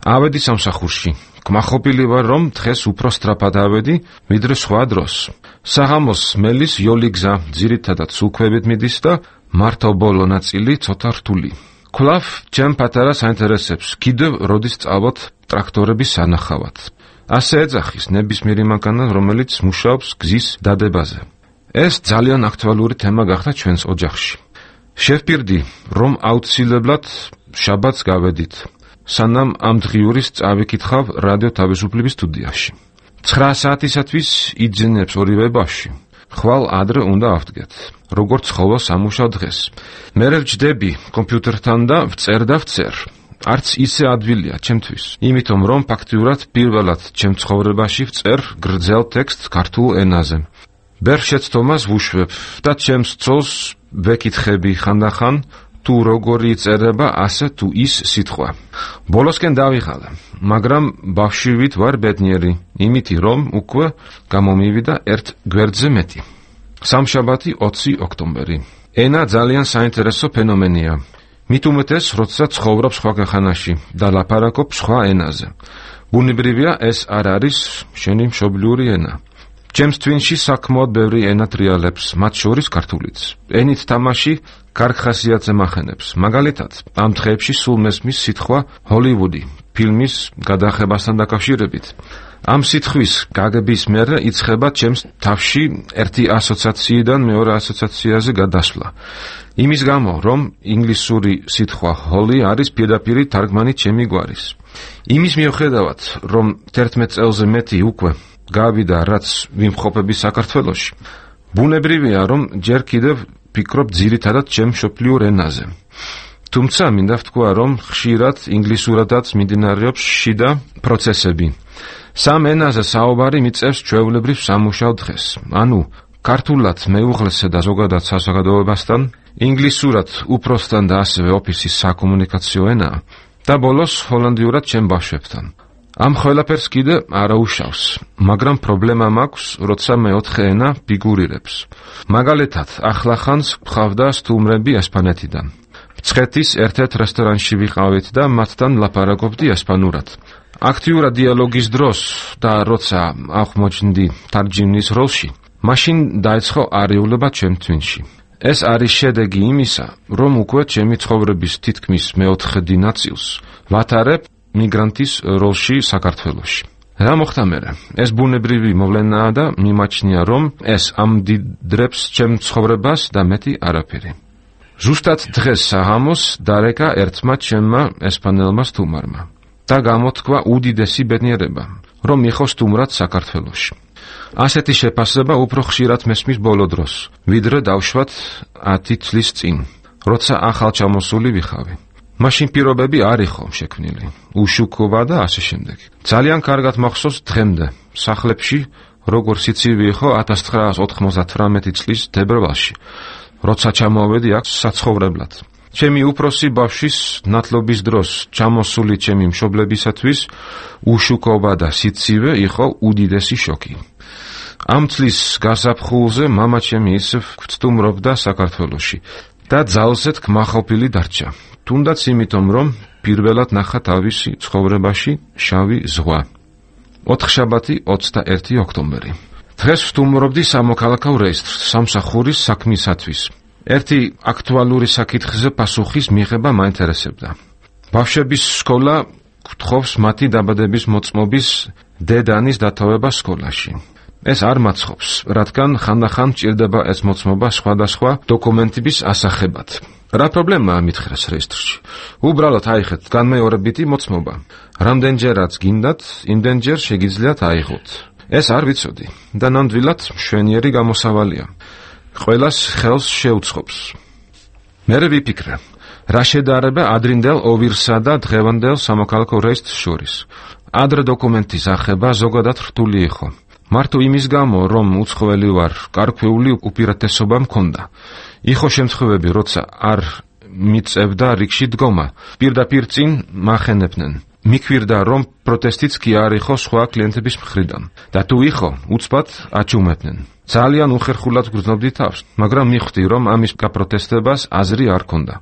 ავედი სამსახურში. კმაყოფილი ვარ, რომ დღეს უფრო სწრაფად ავედი, ვიდრე სხვა დროს. საღამოს მელის იოლი გზა ძირითადად სულქვებით მიდის და მარტო ბოლო ნაწილი ცოტა რთული. კვლავ ჩემ პატარა საინტერესებს, კიდევ როდის წავოთ ტრაქტორების სანახავად. ასე ეძახის ნებისმიერი მანქანა, რომელიც მუშაობს გზის დადებაზე. ეს ძალიან აქტუალური თემა გახდა ჩვენს ოჯახში. შევპირდი, რომ აუცილებლად შაბათს გავედით, სანამ ამ დღიურის წავიკითხავ რადიო თავისუფლების სტუდიაში. ცხრა საათისათვის იძინებს ორივე ბავშვი. ხვალ ადრე უნდა ავდგეთ, როგორც ხოლო სამუშაო დღეს. მე ვჯდები კომპიუტერთან და ვწერ და ვწერ. არც ისე ადვილია ჩემთვის, იმიტომ რომ ფაქტიურად პირველად ჩემ ცხოვრებაში ვწერ გრძელ ტექსტს ქართულ ენაზე. ბერ შეცდომას ვუშვებ და ჩემს ცოლს ვეკითხები ხანდახან, თუ როგორი იწერება ასე თუ ის სიტყვა. ბოლოსკენ დავიღალე, მაგრამ ბავშვივით ვარ ბედნიერი, იმითი რომ უკვე გამომივიდა ერთ გვერდზე მეტი. სამშაბათი ოცი ოქტომბერი. ენა ძალიან საინტერესო ფენომენია. მით უმეტეს, როცა ცხოვრობ სხვა ქვეყანაში და ლაპარაკობ სხვა ენაზე. ბუნებრივია, ეს არ არის შენი მშობლიური ენა. ჩემს თვინში საკმაოდ ბევრი ენა ტრიალებს, მათ შორის ქართულიც. ენით თამაში კარგ ხასიათს ემახენებს. მაგალითად, ამ დღეებში სულ მესმის სიტყვა ჰოლივუდი ფილმის გადაღებასთან დაკავშირებით. ამ სიტყვის გაგების მერე იწყება ჩემს თავში ერთი ასოციაციიდან მეორე ასოციაციაზე გადასვლა. იმის გამო, რომ ინგლისური სიტყვა ჰოლი არის პირდაპირი თარგმანი ჩემი გვარის. იმის მიუხედავად, რომ თერთმეტ წელზე მეტი უკვე გავიდა რაც ვიმყოფები საქართველოში. ბუნებრივია, რომ ჯერ კიდევ ვფიქრობ ძირითადად ჩემ მშობლიურ ენაზე. თუმცა მინდა ვთქვა, რომ ხშირად ინგლისურადაც მიმდინარეობს შიდა პროცესები. სამ ენაზე საუბარი მიწევს ჩვეულებრივ სამუშაო დღეს. ანუ ქართულად მეუღლესა და ზოგადად საზოგადოებასთან, ინგლისურად უფროსთან და ასევე ოფისის საკომუნიკაციო ენაა და ბოლოს ჰოლანდიურად ჩემ ბავშვებთან. ამ ყველაფერს კიდე არა უშავს, მაგრამ პრობლემა მაქვს, როცა მეოთხე ენა ფიგურირებს. მაგალითად, ახლახანს ვყავდა სტუმრები ესპანეთიდან. მცხეთის ერთ-ერთ რესტორანში ვიყავით და მათთან ლაპარაკობდი ესპანურად. აქტიურად დიალოგის დროს და როცა აღმოჩნდი თარჯიმნის როლში, მაშინ დაიწყო არეულობა ჩემ თვინში. ეს არის შედეგი იმისა, რომ უკვე ჩემი ცხოვრების თითქმის მეოთხედი ნაწილს ვატარებ მიგრანტის როლში საქართველოში. რა მოხდა მერე? ეს ბუნებრივი მოვლენაა და მიმაჩნია, რომ ეს ამდიდრებს ჩემ ცხოვრებას და მეტი არაფერი. ზუსტად დღეს საღამოს დარეკა ერთმა ჩემმა ესპანელმა სტუმარმა და გამოთქვა უდიდესი ბედნიერება, რომ მიხო სტუმრად საქართველოში. ასეთი შეფასება უფრო ხშირად მესმის ბოლო დროს, ვიდრე დავშვათ ათი წლის წინ, როცა ახალ ჩამოსული ვიხავი. მაშინ პირობები არ იყო შექმნილი, უშუქობა და ასე შემდეგ. ძალიან კარგად მახსოვს დღემდე, სახლებში, როგორ სიცივი იყო ათას ცხრაას ოთხმოცდათვრამეტი წლის თებერვალში, როცა ჩამოვედი აქ საცხოვრებლად. ჩემი უფროსი ბავშვის ნათლობის დროს ჩამოსული ჩემი მშობლებისათვის უშუქობა და სიცივე იყო უდიდესი შოკი. ამ წლის გასაფხულზე მამა ჩემი ისევ გვცდუმრობდა საქართველოში და ძალზედ კმაყოფილი დარჩა. თუნდაც იმიტომ, რომ პირველად ნახა თავისი ცხოვრებაში შავი ზღვა. ოთხშაბათი ოცდაერთი ოქტომბერი. დღეს ვსტუმრობდი სამოქალაქო რეესტრს სამსახურის საქმისათვის. ერთი აქტუალური საკითხზე პასუხის მიღება მაინტერესებდა. ბავშვების სკოლა გთხოვს მათი დაბადების მოწმობის დედანის დათოვება სკოლაში. ეს არ მაცხობს, რადგან ხანდახან ჭირდება ეს მოწმობა სხვადასხვა დოკუმენტების ასახებად. რა პრობლემაა მითხრეს რეესტრში? უბრალოდ აიღეთ განმეორებითი მოწმობა. რამდენჯერაც გინდათ, იმდენჯერ შეგიძლიათ აიღოთ. ეს არ ვიცოდი და ნამდვილად მშვენიერი გამოსავალია. ყველას ხელს შეუწყობს. მერე ვიფიქრე, რა შედარება ადრინდელ ოვირსა და დღევანდელ სამოქალაქო რეესტრს შორის. ადრე დოკუმენტის ახება ზოგადად რთული იყო. მარტო იმის გამო, რომ უცხოელი ვარ, გარკვეული უპირატესობა მქონდა. იყო შემთხვევები, როცა არ მიწევდა რიგში დგომა, პირდაპირ წინ მახენებდნენ. მიქვირდა, რომ პროტესტიც კი არ იყო სხვა კლიენტების მხრიდან და თუ იყო, უცბად აჩუმებდნენ. ძალიან უხერხულად გრძნობდი თავს, მაგრამ მიხვდი, რომ ამის გაპროტესტებას აზრი არ ქონდა.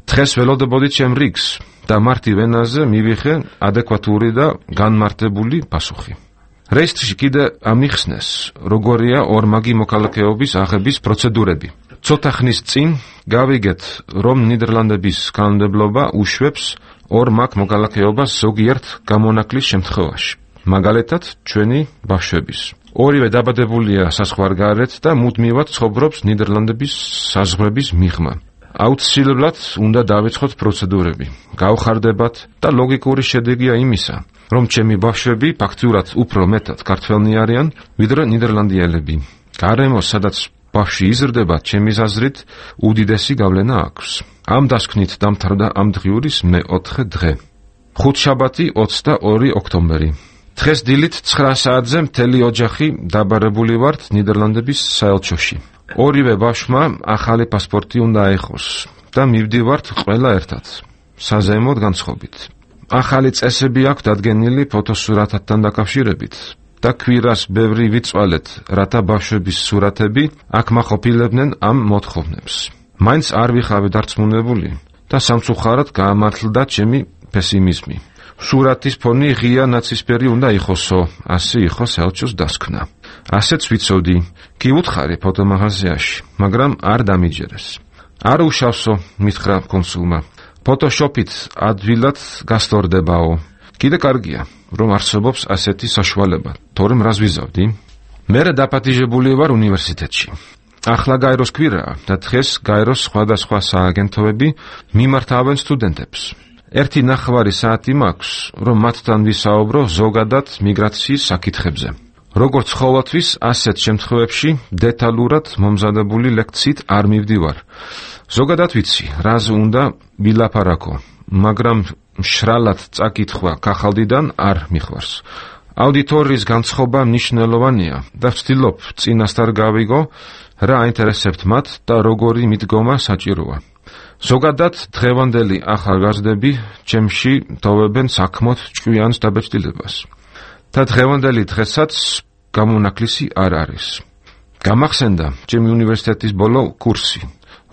დღეს ველოდებოდი ჩემ რიგს და მარტივ ენაზე მივიღე ადეკვატური და განმარტებული პასუხი. რეესტრში კიდე ამიხსნეს, როგორია ორმაგი მოქალაქეობის აღების პროცედურები. ცოტა ხნის წინ გავიგეთ, რომ ნიდერლანდების კანონმდებლობა უშვებს ორმაგ მოქალაქეობას ზოგიერთ გამონაკლის შემთხვევაში. მაგალითად, ჩვენი ბავშვების. ორივე დაბადებულია საზღვარგარეთ და მუდმივად ცხოვრობს ნიდერლანდების საზღვრების მიღმა. აუცილებლად უნდა დავიწყოთ პროცედურები, გავხარდებათ და ლოგიკური შედეგია იმისა, რომ ჩემი ბავშვები ფაქტურად უფრო მეტად ქართველნი არიან, ვიდრე ნიდერლანდიელები. გარემო, სადაც ბავშვი იზრდება, ჩემი აზრით, უდიდესი გავლენა აქვს. ამ დასკვნით დამთავრდა ამ დღიურის მეოთხე დღე. ხუთშაბათი ოცდაორი ოქტომბერი. დღეს დილით ცხრა საათზე მთელი ოჯახი დაბარებული ვართ ნიდერლანდების საელჩოში. ორივე ბავშვმა ახალი პასპორტი უნდა აიღოს და მივდივართ ყველა ერთად, საზეიმოდ განწყობით. ახალი წესები აქვს დადგენილი ფოტოსურათთან დაკავშირებით და კვირას ბევრი ვიწვალეთ, რათა ბავშვების სურათები აქ მაყოფილებდნენ ამ მოთხოვნებს. მაინც არ ვიხავი დარწმუნებული და სამწუხაროდ გაამართლდა ჩემი პესიმიზმი. სურათის ფონი ღია ნაცისფერი უნდა იყოსო, ასე იყო საელჩოს დასკვნა. ასეც ვიცოდი, კი უთხარი ფოტომაღაზიაში, მაგრამ არ დამიჯერეს. არ უშავსო, მითხრა კონსულმა. ფოტოშოპით ადვილად გასტორდებაო. კიდე კარგია, რომ არსებობს ასეთი საშუალება, თორემ რას ვიზავდი? მერე დაპატიჟებული ვარ უნივერსიტეტში. ახლა გაეროს კვირაა და დღეს გაეროს სხვადასხვა სააგენტოები მიმართავენ სტუდენტებს. ერთი ნახევარი საათი მაქვს, რომ მათთან ვისაუბრო ზოგადად მიგრაციის საკითხებზე. როგორც ყოველთვის, ასეთ შემთხვევებში დეტალურად მომზადებული ლექციით არ მივდივარ. ზოგადად ვიცი, რაზე უნდა ვილაპარაკო, მაგრამ მშრალად წაკითხვა კახალდიდან არ მიხვარს. აუდიტორიის განცხობა მნიშვნელოვანია და ვცდილობ წინასწარ გავიგო, რა აინტერესებთ მათ და როგორი მიდგომა საჭიროა. ზოგადად დღევანდელი ახალგაზრდები ჩემში ტოვებენ საქმოთ ჭკვიანს დაბეჭდილებას. და დღევანდელი დღესაც გამონაკლისი არ არის. გამახსენდა ჩემი უნივერსიტეტის ბოლო კურსი,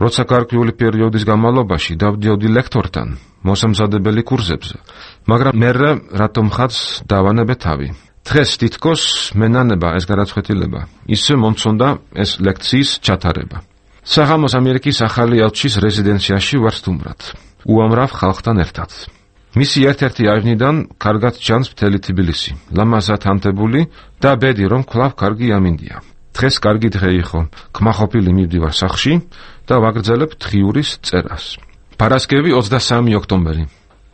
როცა გარკვეული პერიოდის განმავლობაში დავდიოდი ლექტორთან მოსამზადებელი კურსებზე, მაგრამ მერე რატომ ხაც დავანებე თავი. დღეს თითქოს მენანება ეს გადაწყვეტილება, ისე მომწონდა ეს ლექციის ჩატარება. საღამოს ამერიკის ახალი ელჩის რეზიდენციაში ვარ სტუმრად, უამრავ ხალხთან ერთად. მისი ერთ-ერთი აივნიდან კარგად ჩანს მთელი თბილისი, ლამაზად ანთებული და ბედი, რომ კვლავ კარგი ამინდია. დღეს კარგი დღე იყო, კმაყოფილი მივდივარ სახლში და ვაგრძელებ დღიურის წერას. პარასკევი ოცდასამი ოქტომბერი.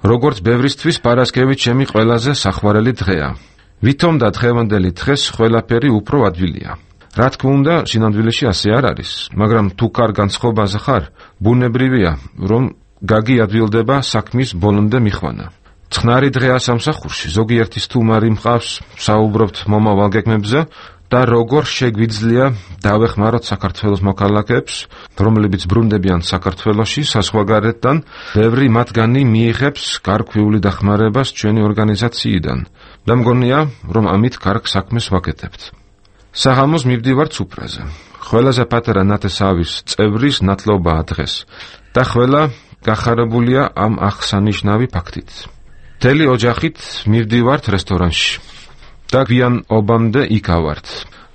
როგორც ბევრისთვის, პარასკევი ჩემი ყველაზე სახვარელი დღეა. ვითომ და დღევანდელი დღეს ყველაფერი უფრო ადვილია. რა თქმა უნდა, სინამდვილეში ასე არ არის, მაგრამ თუ კარ განწყობაზე ხარ, ბუნებრივია, რომ გაგი ადვილდება საქმის ბოლომდე მიხვანა. წყნარი დღეა სამსახურში, ზოგიერთი სტუმარი მყავს, საუბრობთ მომავალ გეგმებზე და როგორ შეგვიძლია დავეხმაროთ საქართველოს მოქალაქეებს, რომლებიც ბრუნდებიან საქართველოში საზღვარგარეთთან, ბევრი მათგანი მიიღებს გარკვეული დახმარებას ჩვენი ორგანიზაციიდან და მგონია, რომ ამით კარგ საქმეს ვაკეთებთ. საღამოს მივდივარ ცუპრაზე. ყველაზე პატარა ნათესავის წევრის ნათლობაა დღეს და ყველა გახარებულია ამ აღსანიშნავი ფაქტით. მთელი ოჯახით მივდივართ რესტორანში და გვიან ობამდე იქავართ.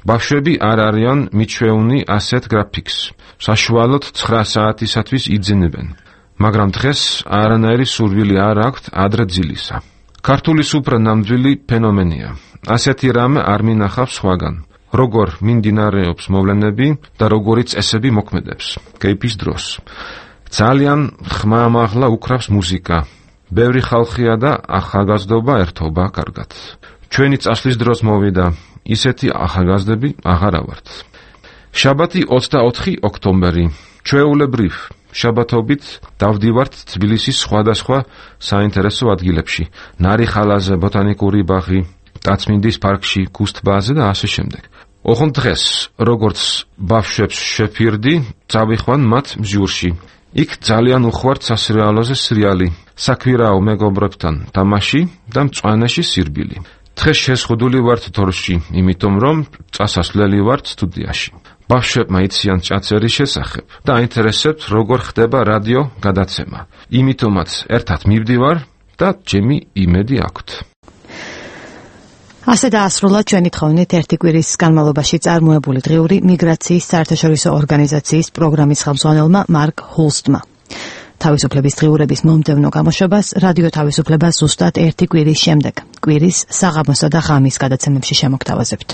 ბავშვები არ არიან მიჩვეუნი ასეთ გრაფიკს. საშუალოდ ცხრა საათისათვის იძინებენ, მაგრამ დღეს არანაირი სურვილი არ აქვთ ადრე ძილისა. ქართული სუფრა ნამდვილი ფენომენია. ასეთი რამე არ მინახავს სხვაგან. როგორ მიმდინარეობს მოვლენები და როგორი წესები მოქმედებს კეიფის დროს. ძალიან ხმამაღლა უკრავს მუსიკა. ბევრი ხალხია და ახალგაზრდობა ერთობა კარგად. ჩვენი წასვლის დროს მოვიდა, ისეთი ახალგაზრდები აღარა ვართ. შაბათი ოცდაოთხი ოქტომბერი. ჩვეულებრივ შაბათობით დავდივართ თბილისის სხვადასხვა საინტერესო ადგილებში. ნარიხალაზე, ბოტანიკური ბაღი, ტაცმინდის პარკში, გუსტბაზე და ასე შემდეგ. ოღონდ დღეს, როგორც ბავშვებს შეფირდი, წავიხვან მათ მზიურში. იქ ძალიან უხვართ სასრიალოზე სრიალი, საქვირაო მეგობრებთან თამაში და მწვანეში სირბილი. დღეს შეზღუდული ვართ თორში, იმიტომ რომ წასასვლელი ვართ სტუდიაში. ბავშვებმა იციან ჭაწერის შესახებ და აინტერესებთ, როგორ ხდება რადიო გადაცემა. იმიტომაც ერთად მივდივარ და ჩემი იმედი აქვთ. ასე დაასრულა ჩვენი თხოვნით ერთი კვირის განმავლობაში წარმოებული დღიური მიგრაციის საერთაშორისო ორგანიზაციის პროგრამის ხელმძღვანელმა მარკ ჰულსტმა. თავისუფლების დღიურების მომდევნო გამოშვებას რადიო თავისუფლება ზუსტად ერთი კვირის შემდეგ, კვირის საღამოსა და ღამის გადაცემებში შემოგთავაზებთ.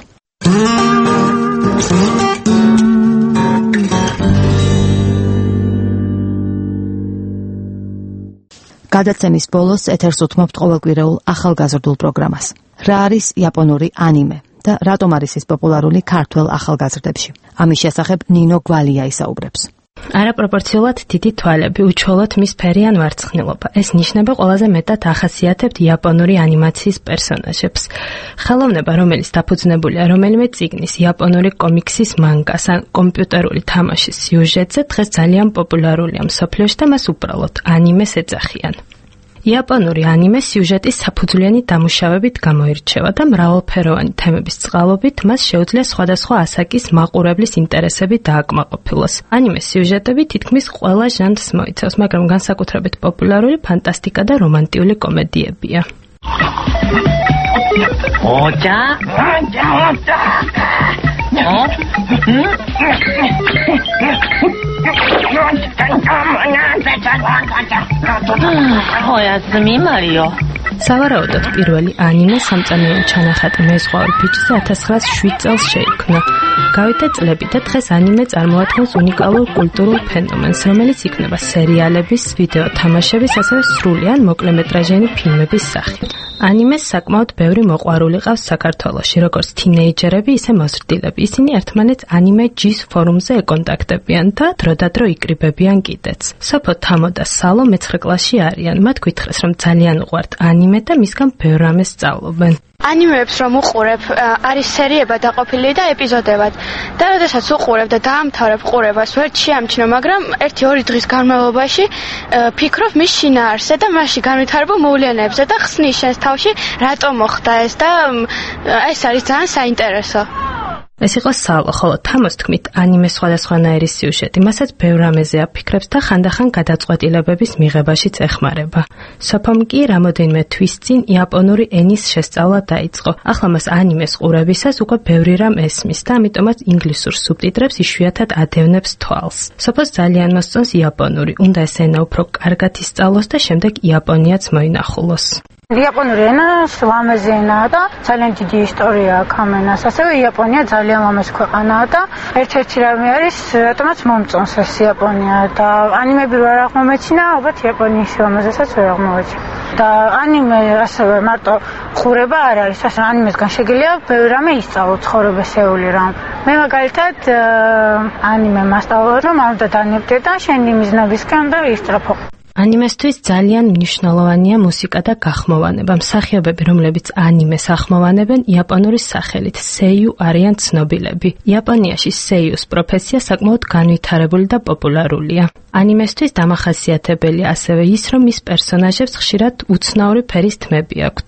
გადაცემის ბოლოს ეთერს უთმობთ ყოველკვირეულ ახალგაზრდულ პროგრამას. რა არის იაპონური ანიმე და რატომ არის ის პოპულარული ქართველ ახალგაზრდებში? ამის შესახებ ნინო გვალია ისაუბრებს. არაპროპორციულად დიდი თვალები, უჩვეულოდ მის ფერი ან ვარცხნილობა. ეს ნიშნება ყველაზე მეტად ახასიათებთ იაპონური ანიმაციის პერსონაჟებს. ხელოვნება, რომელიც დაფუძნებულია რომელიმე წიგნის, იაპონური კომიქსის, მანგას ან კომპიუტერული თამაშის სიუჟეტზე, დღეს ძალიან პოპულარულია მსოფლიოში და მას უბრალოდ ანიმეს ეძახიან. იაპონური ანიმე სიუჟეტის საფუძვლიანი დამუშავებით გამოირჩევა და მრავალფეროვანი თემების წყალობით მას შეუძლია სხვადასხვა ასაკის მაყურებლის ინტერესები დააკმაყოფილოს. ანიმეს სიუჟეტები თითქმის ყველა ჟანრს მოიცავს, მაგრამ განსაკუთრებით პოპულარული ფანტასტიკა და რომანტიული კომედიებია. ოჯა? სავარაუდოდ პირველი ანიმე სამწანიო ჩანახატი მეზღვაურ ბიჭზე ათას ცხრაასი შვიდ წელს შეიქმნა. გავიდა წლები და დღეს ანიმე წარმოადგენს უნიკალურ კულტურულ ფენომენს, რომელიც იქმნება სერიალების, ვიდეო თამაშების, ასევე სრული ან მოკლემეტრაჟიანი ფილმების სახით. ანიმეს საკმაოდ ბევრი მოყვარული ყავს საქართველოში, როგორც თინეიჯერები, ისე მოზრდილები. ისინი ერთმანეთს ანიმე ჯის ფორუმზე ეკონტაქტებიან და დროდადრო იკრიბებიან კიდეც. სოფო თამო და სალო მეცხრე კლასში არიან. მათ გითხრეს, რომ ძალიან უყვართ ანიმე და მისგან ბევრ რამეს სწავლობენ. ანიმეებს რომ უყურებ, არის სერიებად დაყოფილი და ეპიზოდებად. და როდესაც უყურებ და დაამთავრებ ყურებას, ვერ შეამჩნევ, მაგრამ ერთი ორი დღის განმავლობაში ფიქრობ მის შინაარსზე და მასში განვითარებულ მოვლენებზე და ხსნის შენს თავში, რატომ მოხდა ეს და ეს არის ძალიან საინტერესო. ეს იყო სალო, ხოლო თამოს თქმით, ანიმეს სხვადასხვანაირი სიუჟეტი, მასაც ბევრ რამეზე აფიქრებს და ხანდახან გადაწყვეტილებების მიღებაშიც ეხმარება. სოფომ კი რამოდენიმე თვის წინ იაპონური ენის შესწავლა დაიწყო. ახლა მას ანიმეს ყურებისას უკვე ბევრი რამ ესმის და ამიტომაც ინგლისურ სუბტიტრებს იშვიათად ადევნებს თვალს. სოფოს ძალიან მოსწონს იაპონური, უნდა ეს ენა უფრო კარგად ისწავლოს და შემდეგ იაპონიაც მოინახულოს. იაპონური ენა ლამაზი ენაა და ძალიან დიდი ისტორია აქვს ამ ენას. ასევე იაპონია ძალიან ლამაზი ქვეყანაა და ერთ-ერთი რამე არის, რატომაც მომწონს ეს იაპონია და ანიმები რო არ აღმომეჩინა, ალბათ იაპონიის ლამაზესაც ვერ აღმოვეჩინა. და ანიმე ასევე მარტო ყურება არ არის, ასე ანიმესგან შეგიძლია ბევრი რამე ისწავლო ცხოვრებასეული რამ. მე მაგალითად ანიმე მასწავლო, რომ არ უნდა დანებდე და შენი მიზნობისკენ და ისწრაფო. ანიმესთვის ძალიან მნიშვნელოვანია მუსიკა და გახმოვანება. მსახიობები, რომლებიც ანიმეს ახმოვანებენ, იაპონური სახელით სეიუ არიან ცნობილები. იაპონიაში სეიუს პროფესია საკმაოდ განვითარებული და პოპულარულია. ანიმესთვის დამახასიათებელია ასევე ის, რომ მის პერსონაჟებს ხშირად უცნაური ფერის თმები აქვთ,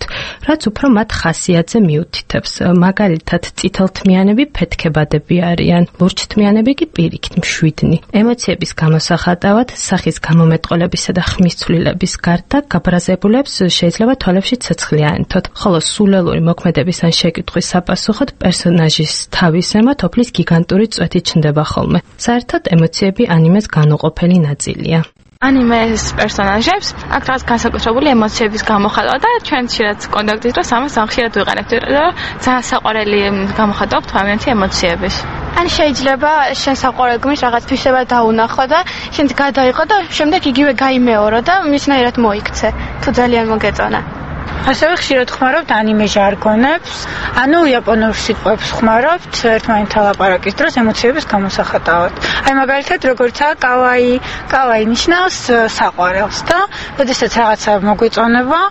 რაც უფრო მათ ხასიათზე მიუთითებს. მაგალითად, წითელთმიანები ფეთქებადები არიან, ლურჯთმიანები კი პირიქით მშვიდნი. ემოციების გამოსახატავად, სახის გამომეტყოლებისა და ხმის ცვლილების გარდა გაბრაზებულებს შეიძლება თვალებში ცეცხლი აენთოთ, ხოლო სულელური მოქმედების ან შეკითხვის საპასუხოდ პერსონაჟის თავის ემოთ ოფლის გიგანტური წვეთი ჩნდება ხოლმე. საერთოდ ემოციები ანიმეს განუყოფელი ნაწილია. ანიმეს პერსონაჟებს აქ რაღაც განსაკუთრებული ემოციების გამოხატვა და ჩვენ ხშირად კონტაქტის დროს ამას ხშირად ვიყენებთ, რომ ძალიან საყვარელი გამოხატვა აქვს ადამიანის ემოციების. ან შეიძლება შენ საყვარელ გმირს რაღაც თვისება დაუნახო და შენ გადაიყო და შემდეგ იგივე გაიმეორო და მისნაირად მოიქცე, თუ ძალიან მოგეწონა. ასევე ხშირად ხმარობთ ანიმე ჟარგონებს, ანუ იაპონურ სიტყვებს ხმარობთ ერთმანეთთან ლაპარაკის დროს ემოციების გამოსახატავად. აი მაგალითად, როგორიცაა კავაი, კავაი ნიშნავს საყვარელს და როდესაც რაღაცა მოგვიწონება,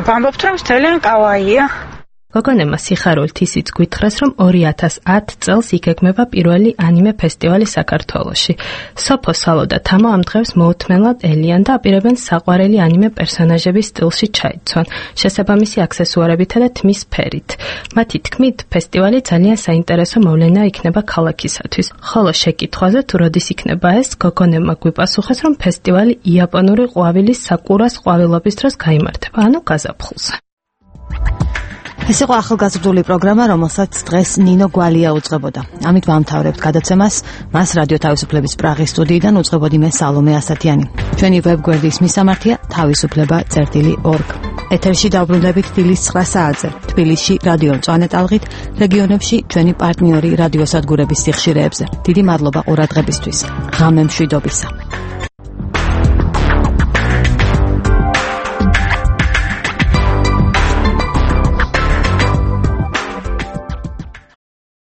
ვამბობთ, რომ ძალიან კავაია. გოგონემა სიხარულით ისიც გვითხრას, რომ ორი ათას ათ წელს იგეგმება პირველი ანიმე ფესტივალი საქართველოში. სოფო სალო და თამო ამ დღეს მოუთმენლად ელიან და აპირებენ საყვარელი ანიმე პერსონაჟების სტილში ჩაიცვან, შესაბამისი აქსესუარებითა და თმის ფერით. მათი თქმით, ფესტივალი ძალიან საინტერესო მოვლენა იქნება ქალაქისათვის. ხოლო შეკითხვაზე თუ როდის იქნება ეს, გოგონემა გვიპასუხეს, რომ ფესტივალი იაპონური ყვავილის საკურას ყვავილობის დროს გაიმართება, ანუ გაზაფხულზე. ეს იყო ახალგაზრდული პროგრამა, რომელსაც დღეს ნინო გვალია უძღვებოდა. ამით ვამთავრებთ გადაცემას. მას რადიო თავისუფლების პრაღის სტუდიიდან უძღვებოდი მე სალომე ასათიანი. ჩვენი ვებგვერდის მისამართია თავისუფლება წერტილი ორგ. ეთერში დავბრუნდებით დილის ცხრა საათზე. თბილისში რადიო მწვანე ტალღით, რეგიონებში ჩვენი პარტნიორი რადიოსადგურების სიხშირეებზე. დიდი მადლობა ყურადღებისთვის. ღამე მშვიდობისა.